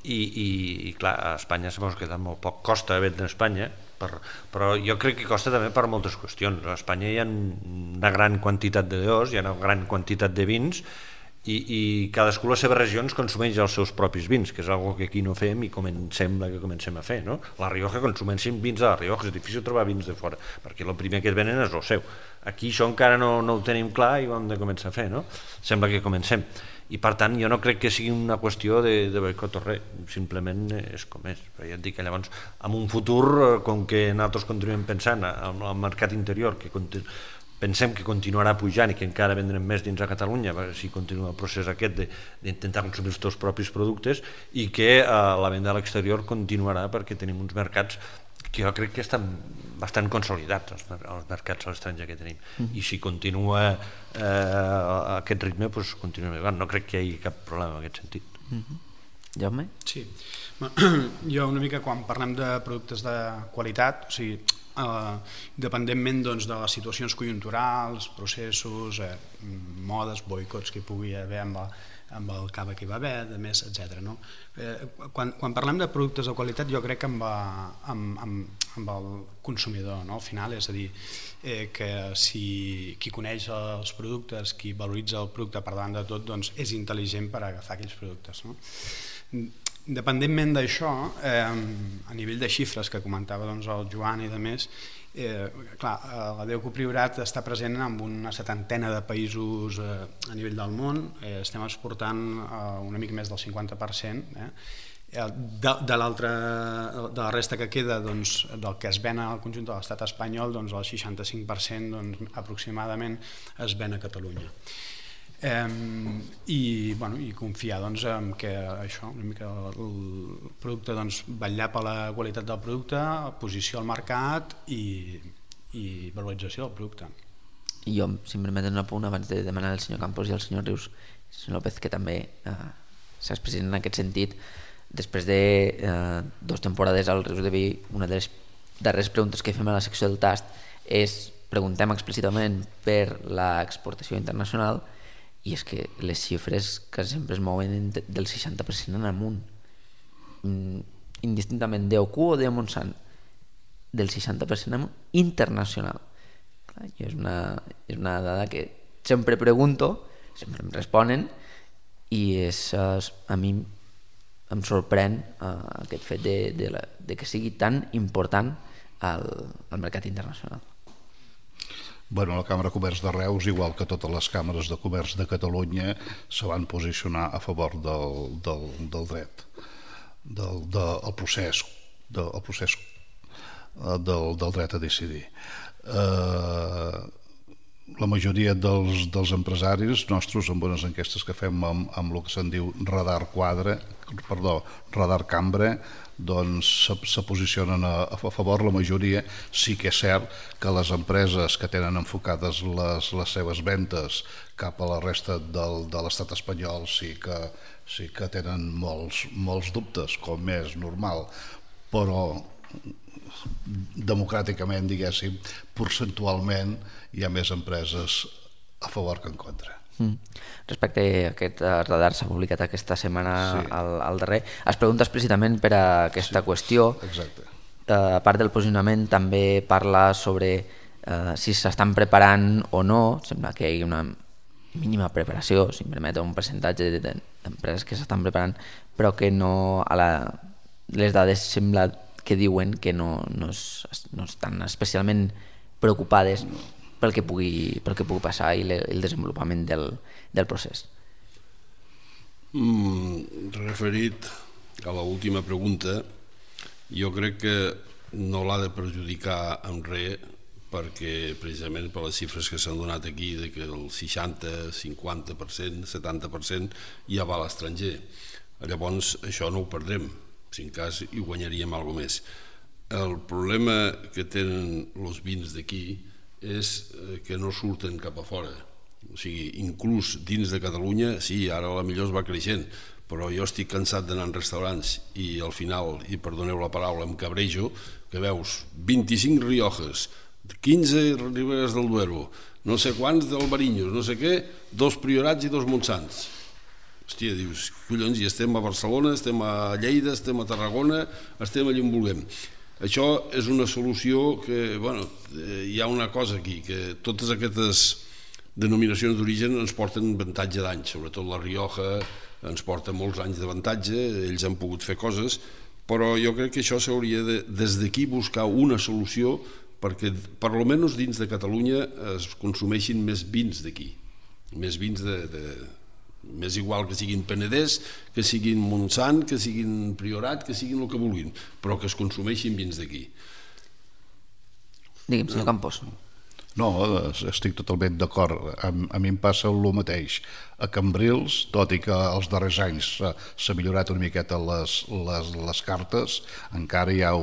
i clar, a Espanya s'ha quedat molt poc. Costa vendre a Espanya, però jo crec que costa també per moltes qüestions. A Espanya hi ha una gran quantitat de DOs, hi ha una gran quantitat de vins, i cadascú a les seves regions consumeix els seus propis vins, que és una cosa que aquí no fem i sembla que comencem a fer. La Rioja consumeixen vins de la Rioja, és difícil trobar vins de fora, perquè el primer que es venen és el seu. Aquí això encara no ho tenim clar i ho hem de començar a fer, no? Sembla que comencem. I per tant jo no crec que sigui una qüestió de boicot o res, simplement és com és. Però ja et dic que llavors en un futur, com que nosaltres continuem pensant en el mercat interior, que pensem que continuarà pujant i que encara vendrem més dins a Catalunya si continua el procés aquest d'intentar consumir els teus propis productes, i que la venda a l'exterior continuarà, perquè tenim uns mercats que jo crec que estan bastant consolidats, els mercats a l'estranger que tenim, i si continua a aquest ritme doncs continuem igual. No crec que hi hagi cap problema en aquest sentit. Jaume? Sí, jo una mica quan parlem de productes de qualitat, o sigui, dependentment de les situacions conjunturals, processos, modes, boicots que hi pugui haver amb el cava que hi va haver, de més, etc. Quan parlem de productes de qualitat, jo crec que amb el consumidor, al final, és a dir, que si qui coneix els productes, qui valoritza el producte per davant de tot, doncs és intel·ligent per agafar aquells productes. Dependentment d'això, a nivell de xifres que comentava el Joan i de més, clar, la DEUC Priorat està present en una 70ena de països a nivell del món, estem exportant una mica més del 50%, de la resta que queda, del que es ven al conjunt de l'estat espanyol, el 65% aproximadament es ven a Catalunya. I confiar en que això, una mica el producte, vetllar per la qualitat del producte, posició al mercat i valorització del producte. I jo, si em permeten un apunt abans de demanar al senyor Campos i al senyor Rius, el senyor López, que també s'ha expressat en aquest sentit, després de 2 temporades al Rius de Vi, una de les darreres preguntes que fem a la secció del tast és, preguntem explícitament per l'exportació internacional, i és que les xifres que sempre es mouen del 60% en amunt, indistintament d'OQ o de Montsant, del 60% amunt internacional. És una dada que sempre pregunto, sempre em responen, i a mi em sorprèn aquest fet de que sigui tan important al mercat internacional. La Càmera de Comerç de Reus, igual que totes les càmeres de comerç de Catalunya, se van posicionar a favor del dret, del procés del dret a decidir. La majoria dels empresaris nostres, amb unes enquestes que fem amb el que se'n diu radar cambra, se posicionen a favor. La majoria sí que és cert que les empreses que tenen enfocades les seves ventes cap a la resta de l'estat espanyol sí que tenen molts dubtes, com és normal, però democràticament, diguéssim, percentualment hi ha més empreses a favor que en contra. Respecte a aquest radar s'ha publicat aquesta setmana al darrer, es pregunta explícitament per a aquesta qüestió. Exacte. A part del posicionament també parla sobre si s'estan preparant o no. Sembla que hi ha una mínima preparació, si em permet, un percentatge d'empreses que s'estan preparant, però que no les dades sembla que diuen que no estan especialment preocupades pel que pugui passar i el desenvolupament del procés. Referit a l'última pregunta, jo crec que no l'ha de perjudicar en res, perquè precisament per les xifres que s'han donat aquí de que el 60, 50%, 70% ja va a l'estranger. Llavors això no ho perdrem, si en cas hi guanyaríem alguna més. El problema que tenen els vins d'aquí és que no surten cap a fora. O sigui, inclús dins de Catalunya, sí, ara a la millor es va creixent, però jo estic cansat d'anar en restaurants i al final, i perdoneu la paraula, em cabrejo, que veus 25 Riojas, 15 Riberes del Duero, no sé quants d'Albarinyos, no sé què, 2 Priorats i 2 Montsants. Hòstia, dius, collons, i estem a Barcelona, estem a Lleida, estem a Tarragona, estem allà on vulguem. Això és una solució que, bueno, hi ha una cosa aquí, que totes aquestes denominacions d'origen ens porten avantatge d'anys, sobretot la Rioja ens porta molts anys d'avantatge, ells han pogut fer coses, però jo crec que això s'hauria de, des d'aquí, buscar una solució perquè, per almenys dins de Catalunya, es consumeixin més vins d'aquí, més vins més igual que siguin Penedès, que siguin Montsant, que siguin Priorat, que siguin el que vulguin, però que es consumeixin vins d'aquí. Digue'm, senyor Campos. No, estic totalment d'acord. A mi em passa el mateix. A Cambrils, tot i que els darrers anys s'ha millorat una miqueta les cartes, encara hi ha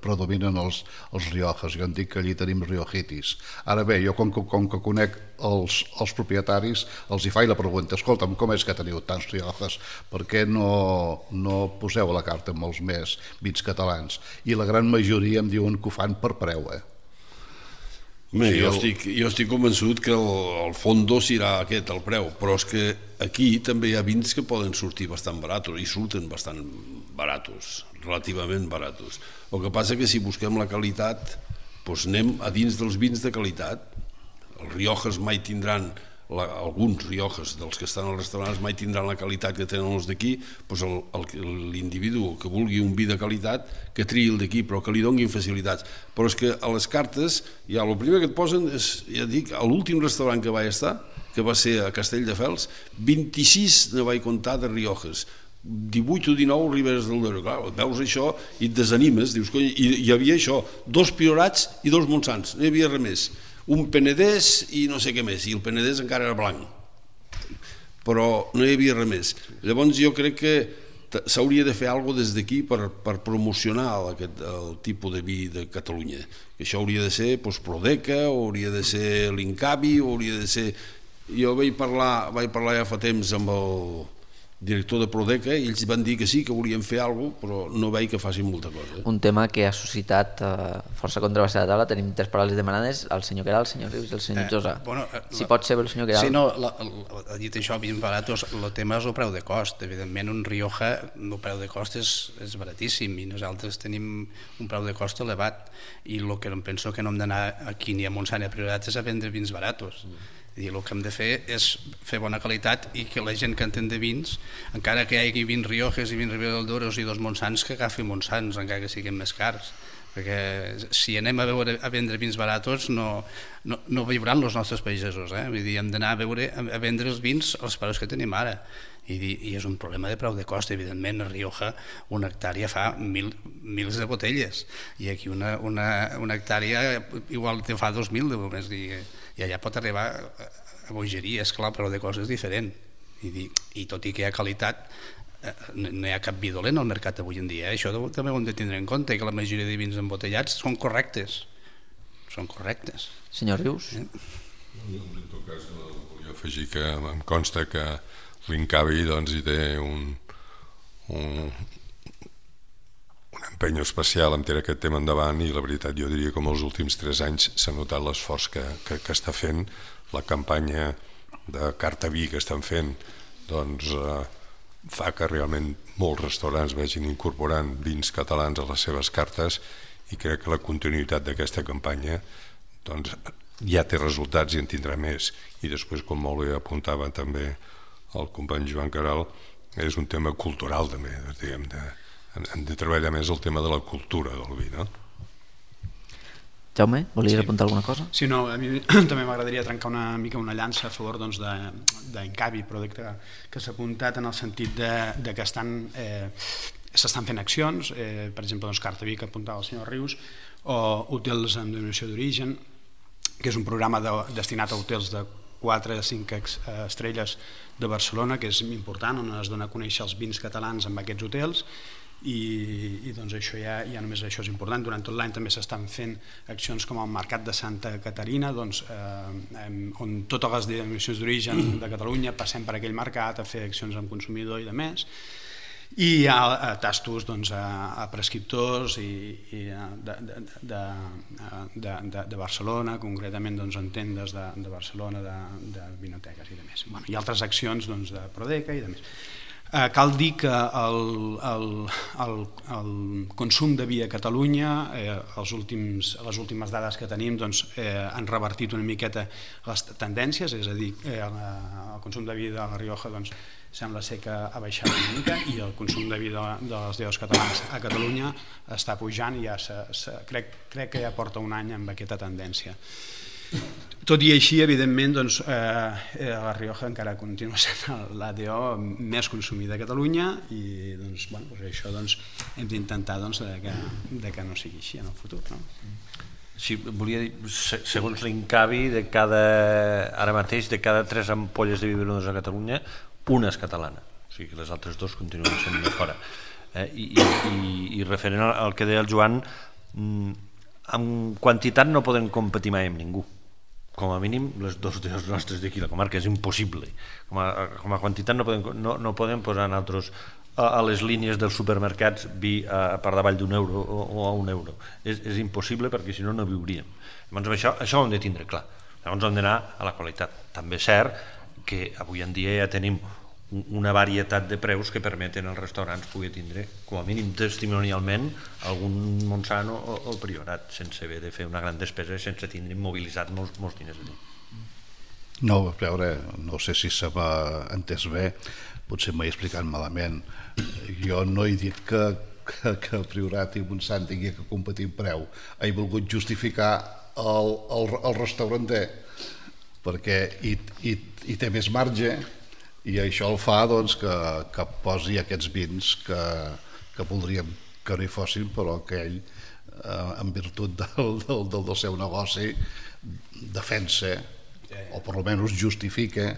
predominen els Riojas. Jo en dic que allí tenim Riojitis. Ara bé, jo com que conec els propietaris, els hi faig la pregunta: escolta'm, com és que teniu tants Riojas? Per què no poseu a la carta molts més vins catalans? I la gran majoria em diuen que ho fan per preu, Jo estic convençut que el fondo serà aquest, el preu, però és que aquí també hi ha vins que poden sortir bastant baratos, i surten bastant baratos, relativament baratos. El que passa que si busquem la qualitat, doncs anem a dins dels vins de qualitat. Els Riojas mai tindran, alguns Riojas dels que estan als restaurants mai tindran la qualitat que tenen els d'aquí, doncs l'individu que vulgui un vi de qualitat que triï el d'aquí, però que li donguin facilitats. Però és que a les cartes, ja el primer que et posen és, ja dic, a l'últim restaurant que vaig estar, que va ser a Castelldefels, 26 ne vaig comptar de Riojas, 18 o 19 Riberes del Duero. Clar, veus això i et desanimes, dius, cony, hi havia això, 2 Priorats i 2 Montsants, no hi havia res més. Un Penedès i no sé què més, i el Penedès encara era blanc, però no hi havia res més. Llavors jo crec que s'hauria de fer alguna cosa des d'aquí per promocionar el tipus de vi de Catalunya. Això hauria de ser Prodeca, hauria de ser l'Incavi, hauria de ser... Jo vaig parlar ja fa temps amb el director de Prodeca i ells van dir que sí, que volien fer alguna cosa, però no veig que facin molta cosa. Un tema que ha suscitat força controvèrsia a la taula. Tenim 3 paraules demanades, el senyor Queralt, el senyor Rius i el senyor Josa. Si pot ser el senyor Queralt. Sí, no, dit això, vins baratos, el tema és el preu de cost. Evidentment, un Rioja, el preu de cost és baratíssim i nosaltres tenim un preu de cost elevat, i el que em penso que no hem d'anar aquí ni a Montsant ni a Priorat és a vendre vins baratos. El que hem de fer és fer bona qualitat i que la gent que entén de vins, encara que hi hagi 20 Riojas i 20 Ribera del Duero i 2 Montsants, que agafi Montsants, encara que siguin més cars, perquè si anem a vendre vins baratos no viuran els nostres pagesos. Vull dir, hem d'anar a vendre els vins als preus que tenim ara, i és un problema de preu de cost. Evidentment, a Rioja una hectàrea fa mils de botelles, i aquí una hectàrea igual te fa 2.000 de només, i allà pot arribar a bogeria. És clar, però de coses diferent, i tot i que hi ha qualitat, no hi ha cap vi dolent al mercat avui en dia. Això també ho hem de tindre en compte, que la majoria de vins embotellats són correctes. Senyor Rius? En tot cas, volia afegir que em consta que l'Incavi hi té un empenyo especial en tirar aquest tema endavant, i la veritat jo diria que en els últims 3 anys s'ha notat l'esforç que està fent. La campanya de carta vi que estan fent doncs fa que realment molts restaurants vagin incorporant vins catalans a les seves cartes, i crec que la continuïtat d'aquesta campanya doncs ja té resultats i en tindrà més. I després, com molt bé apuntava també el company Joan Caral, és un tema cultural també, diguem, hem de treballar més el tema de la cultura del vi, no? Jaume, volies apuntar alguna cosa? Sí, no, a mi també m'agradaria trencar una mica una llança a favor d'Incavi, però que s'ha apuntat en el sentit que s'estan fent accions, per exemple, Carta Vi, que apuntava el senyor Rius, o hotels amb denominació d'origen, que és un programa destinat a hotels de 4 a 5 estrelles de Barcelona, que és important, on es dona a conèixer els vins catalans amb aquests hotels, i doncs això ja només això és important. Durant tot l'any també s'estan fent accions com el Mercat de Santa Caterina, on totes les denominacions d'origen de Catalunya passem per aquell mercat a fer accions amb consumidor i de més, i hi ha tastos a prescriptors de Barcelona, concretament en tendes de Barcelona, de vinoteques i de més, i altres accions de Prodeca i de més. Cal dir que el consum de vi a Catalunya, les últimes dades que tenim han revertit una miqueta les tendències, és a dir, el consum de vi de la Rioja sembla ser que ha baixat una mica, i el consum de vi de les deus catalans a Catalunya està pujant, i crec que ja porta un any amb aquesta tendència. Tot i així, evidentment, la Rioja encara continua sent l'ADO més consumida a Catalunya, i això hem d'intentar que no sigui així en el futur. Sí, volia dir, segons l'Incavi, ara mateix, de cada 3 ampolles de vi venudes a Catalunya, una és catalana, o sigui que les altres 2 continuen sent de fora. I referent al que deia el Joan, amb quantitat no podem competir mai amb ningú. Com a mínim les 2 dels nostres d'aquí la comarca, és impossible. Com a quantitat no podem posar nosaltres a les línies dels supermercats vi per davall d'€1 o a €1. És impossible, perquè si no viuríem. Llavors això ho hem de tindre clar. Llavors hem d'anar a la qualitat. També és cert que avui en dia ja tenim una varietat de preus que permeten als restaurants poder tindre, com a mínim testimonialment, algun Montsant o Priorat, sense haver de fer una gran despesa, sense tindre immobilitzat molts diners allà. No, a veure, no sé si se m'ha entès bé, potser m'he explicat malament. Jo no he dit que el Priorat i Montsant tingui que competir en preu. He volgut justificar el restauranter, perquè hi té més marge, i això el fa que posi aquests vins que voldríem que no hi fossin, però que ell, en virtut del seu negoci, defensa, o per almenys justifica,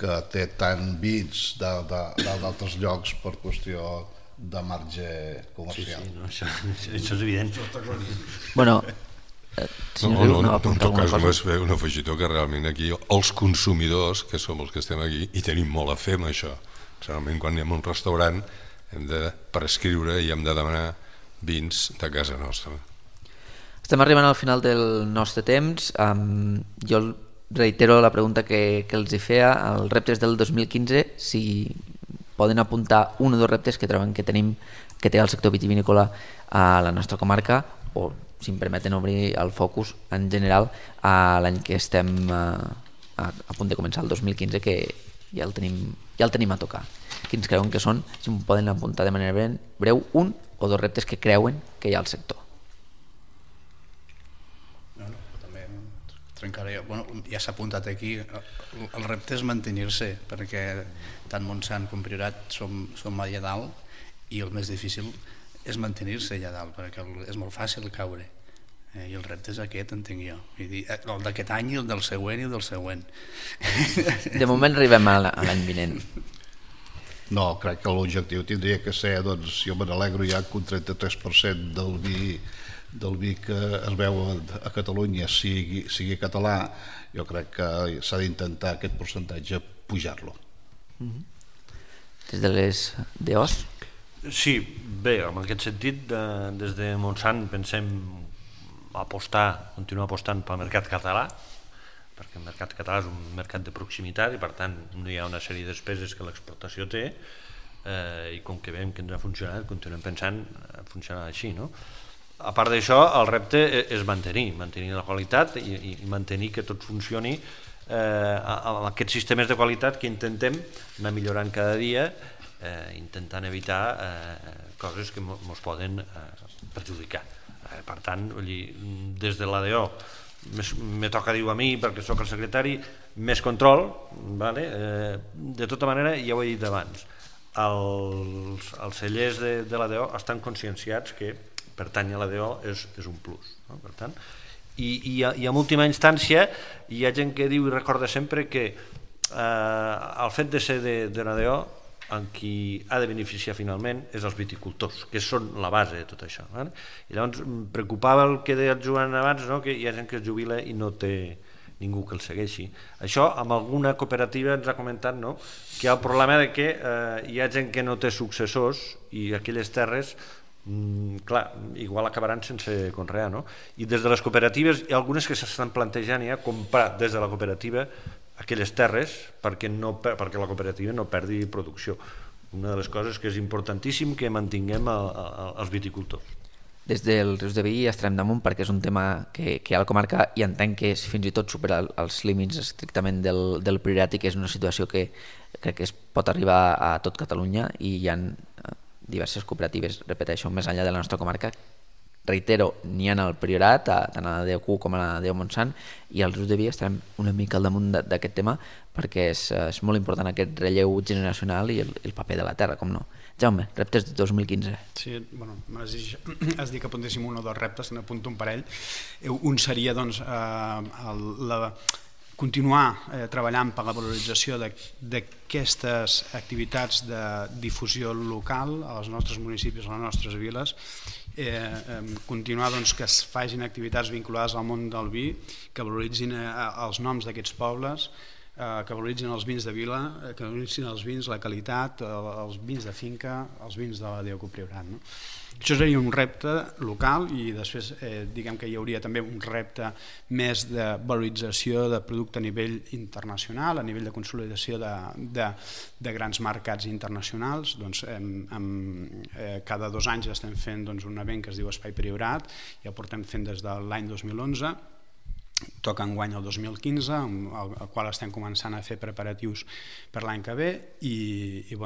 que té tant vins d'altres llocs per qüestió de marge comercial. Sí, això és evident. No, en tot cas només fer un afegitó, que realment aquí els consumidors, que som els que estem aquí, i tenim molt a fer amb això. Realment quan anem a un restaurant hem de prescriure i hem de demanar vins de casa nostra. Estem arribant al final del nostre temps. Jo reitero la pregunta que els hi feia, els reptes del 2015, si poden apuntar un o 2 reptes que troben que té el sector vitivinícola a la nostra comarca, o si em permeten obrir el focus en general a l'any que estem a punt de començar, el 2015, que ja el tenim a tocar. Quins creuen que són? Si em poden apuntar de manera breu un o 2 reptes que creuen que hi ha al sector. També trencaré. Ja s'ha apuntat aquí, el repte és mantenir-se, perquè tant Montsant com Priorat som allà dalt, i el més difícil és mantenir-se allà dalt, perquè és molt fàcil caure, i el repte és aquest, entenc jo, el d'aquest any, el del següent i el del següent. De moment arribem a l'any vinent. No, crec que l'objectiu tindria que ser, jo me n'alegro ja que un 33% del vi que es veu a Catalunya sigui català. Jo crec que s'ha d'intentar aquest percentatge pujar-lo. Des de les DOs? Sí, bé, en aquest sentit, des de Montsant pensem continuar apostant pel mercat català, perquè el mercat català és un mercat de proximitat i per tant no hi ha una sèrie de despeses que l'exportació té, i com que veiem que ens ha funcionat, continuem pensant funcionar així, no? A part d'això, el repte és mantenir la qualitat i mantenir que tot funcioni amb aquests sistemes de qualitat que intentem anar millorant cada dia, intentant evitar coses que ens poden perjudicar. Per tant, des de l'ADO me toca dir a mi, perquè sóc el secretari, més control, de tota manera, ja ho he dit abans, els cellers de l'ADO estan conscienciats que pertany a l'ADO és un plus, per tant, i en última instància hi ha gent que diu i recorda sempre que el fet de ser de l'ADO en qui ha de beneficiar finalment és els viticultors, que són la base de tot això. I llavors em preocupava el que deia el Joan abans, que hi ha gent que es jubila i no té ningú que el segueixi. Això amb alguna cooperativa ens ha comentat que hi ha el problema de que hi ha gent que no té successors i aquelles terres clar, igual acabaran sense conrear, i des de les cooperatives hi ha algunes que s'estan plantejant ja comprar des de la cooperativa aquelles terres perquè la cooperativa no perdi producció. Una de les coses que és importantíssim que mantinguem els viticultors. Des del Rius de Vi estarem damunt perquè és un tema que hi ha a la comarca i entenc que és fins i tot supera els límits estrictament del priorat i que és una situació que crec que es pot arribar a tot Catalunya i hi ha diverses cooperatives, repeteixo, més enllà de la nostra comarca. Reitero, n'hi ha al Priorat, tant a la DEO com a la DEO Montsant, i al Rius de Vi estarem una mica al damunt d'aquest tema perquè és molt important aquest relleu generacional i el paper de la terra, com no. Jaume, reptes de 2015. Sí, has dit que apuntéssim un o dos reptes, n'apunto un parell. Un seria continuar treballant per la valorització d'aquestes activitats de difusió local als nostres municipis, a les nostres viles, continuar que es facin activitats vinculades al món del vi, que valoritzin els noms d'aquests pobles, que valoritzin els vins de vila, que valoritzin els vins, la qualitat, els vins de finca, els vins de la DEO Priorat. Això seria un repte local i després diguem que hi hauria també un repte més de valorització de producte a nivell internacional, a nivell de consolidació de grans mercats internacionals. Cada 2 anys estem fent un event que es diu Espai Priorat i el portem fent des de l'any 2011. Toca enguany el 2015, al qual estem començant a fer preparatius per l'any que ve i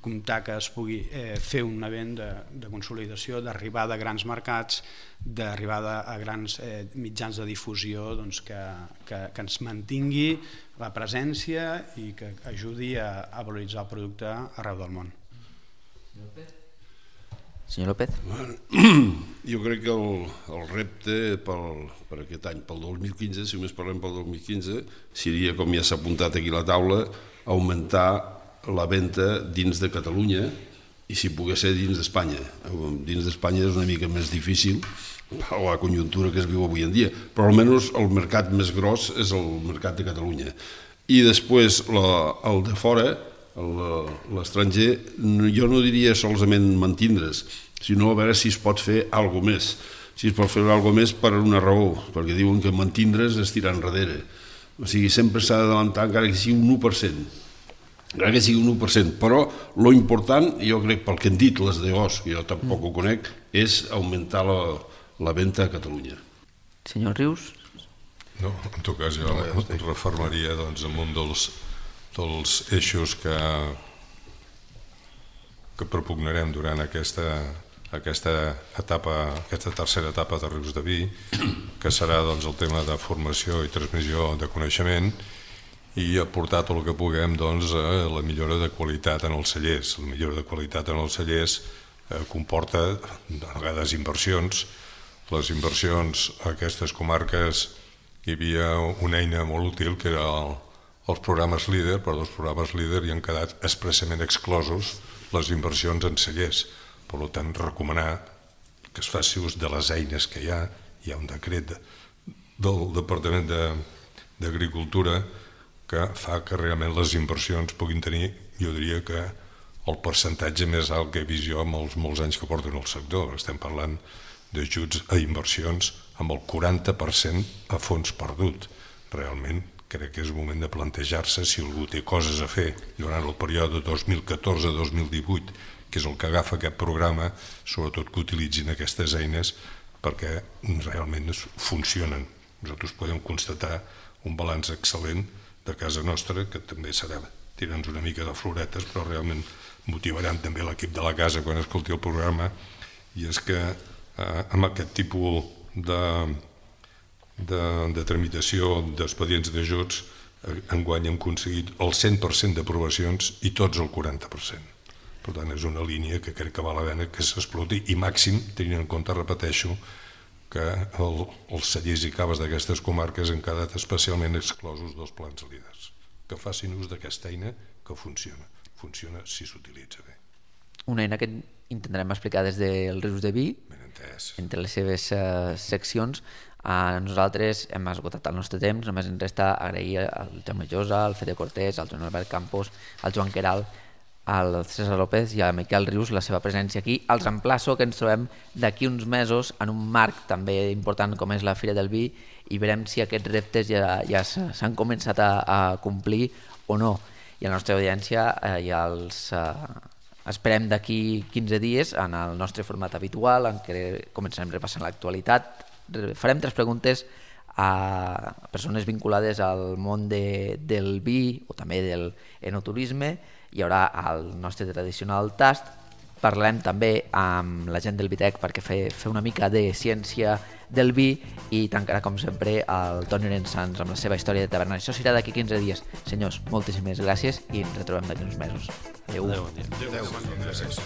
comptar que es pugui fer un event de consolidació, d'arribada a grans mercats, d'arribada a grans mitjans de difusió que ens mantingui la presència i que ajudi a valoritzar el producte arreu del món. Senyor López? Jo crec que el repte per aquest any, pel 2015, si només parlem pel 2015, seria, com ja s'ha apuntat aquí a la taula, augmentar la venda dins de Catalunya i si pogués ser dins d'Espanya. Dins d'Espanya és una mica més difícil per la conjuntura que es viu avui en dia, però almenys el mercat més gros és el mercat de Catalunya. I després el de fora, l'estranger, jo no diria solament mantindre's, sinó a veure si es pot fer alguna més. Si es pot fer alguna més per una raó, perquè diuen que mantindre's és tirar enrere. O sigui, sempre s'ha d'adelantar encara que sigui un 1%. Encara que sigui un 1%, però lo important, jo crec pel que han dit les DOs, que jo tampoc ho conec, és augmentar la venda a Catalunya. Senyor Rius? No, en tot cas jo reformaria en un dels eixos que propugnarem durant aquesta tercera etapa de Rius de Vi, que serà el tema de formació i transmissió de coneixement i aportar tot el que puguem a la millora de qualitat en els cellers. La millora de qualitat en els cellers comporta a vegades inversions. Les inversions a aquestes comarques hi havia una eina molt útil que era els programes líder, però dels programes líder hi han quedat expressament exclosos les inversions en cellers. Per tant, recomanar que es faci ús de les eines que hi ha un decret del Departament d'Agricultura que fa que realment les inversions puguin tenir, jo diria que el percentatge més alt que he vist jo amb els molts anys que porten el sector. Estem parlant d'ajuts a inversions amb el 40% a fons perdut. Realment crec que és el moment de plantejar-se si algú té coses a fer durant el període 2014-2018, que és el que agafa aquest programa, sobretot que utilitzin aquestes eines perquè realment funcionen. Nosaltres podem constatar un balanç excel·lent de casa nostra, que també serà tirant una mica de floretes, però realment motivaran també l'equip de la casa quan escolti el programa, i és que amb aquest tipus de tramitació d'expedients d'ajuts enguany hem aconseguit el 100% d'aprovacions i tots el 40%. Per tant, és una línia que crec que val la pena que s'exploti, i màxim tenint en compte, repeteixo, que els cellers i caves d'aquestes comarques han quedat especialment exclosos dels plans líders. Que facin ús d'aquesta eina que funciona si s'utilitza bé. Una eina que intentarem explicar des del Rius de Vi, entre les seves seccions. Nosaltres hem esgotat el nostre temps, només ens resta agrair al Jaume Llosa, al Fede Cortés, al Joan Albert Campos, al Joan Queralt, al César López i a Miquel Rius la seva presència aquí. Els emplaço que ens trobem d'aquí uns mesos en un marc també important com és la Fira del Vi, i veurem si aquests reptes ja s'han començat a complir o no. I a la nostra audiència ja els esperem d'aquí 15 dies en el nostre format habitual, en què començarem repassant l'actualitat. Farem 3 preguntes a persones vinculades al món del vi o també del enoturisme. Hi haurà el nostre tradicional tast. Parlarem també amb la gent del Vitec perquè fer una mica de ciència del vi, i tancarà com sempre el Toni Orensans amb la seva història de taverna. Això serà d'aquí 15 dies. Senyors, moltíssimes gràcies i ens retrobem d'aquí uns mesos. Adéu. Adéu, bon dia. Gràcies.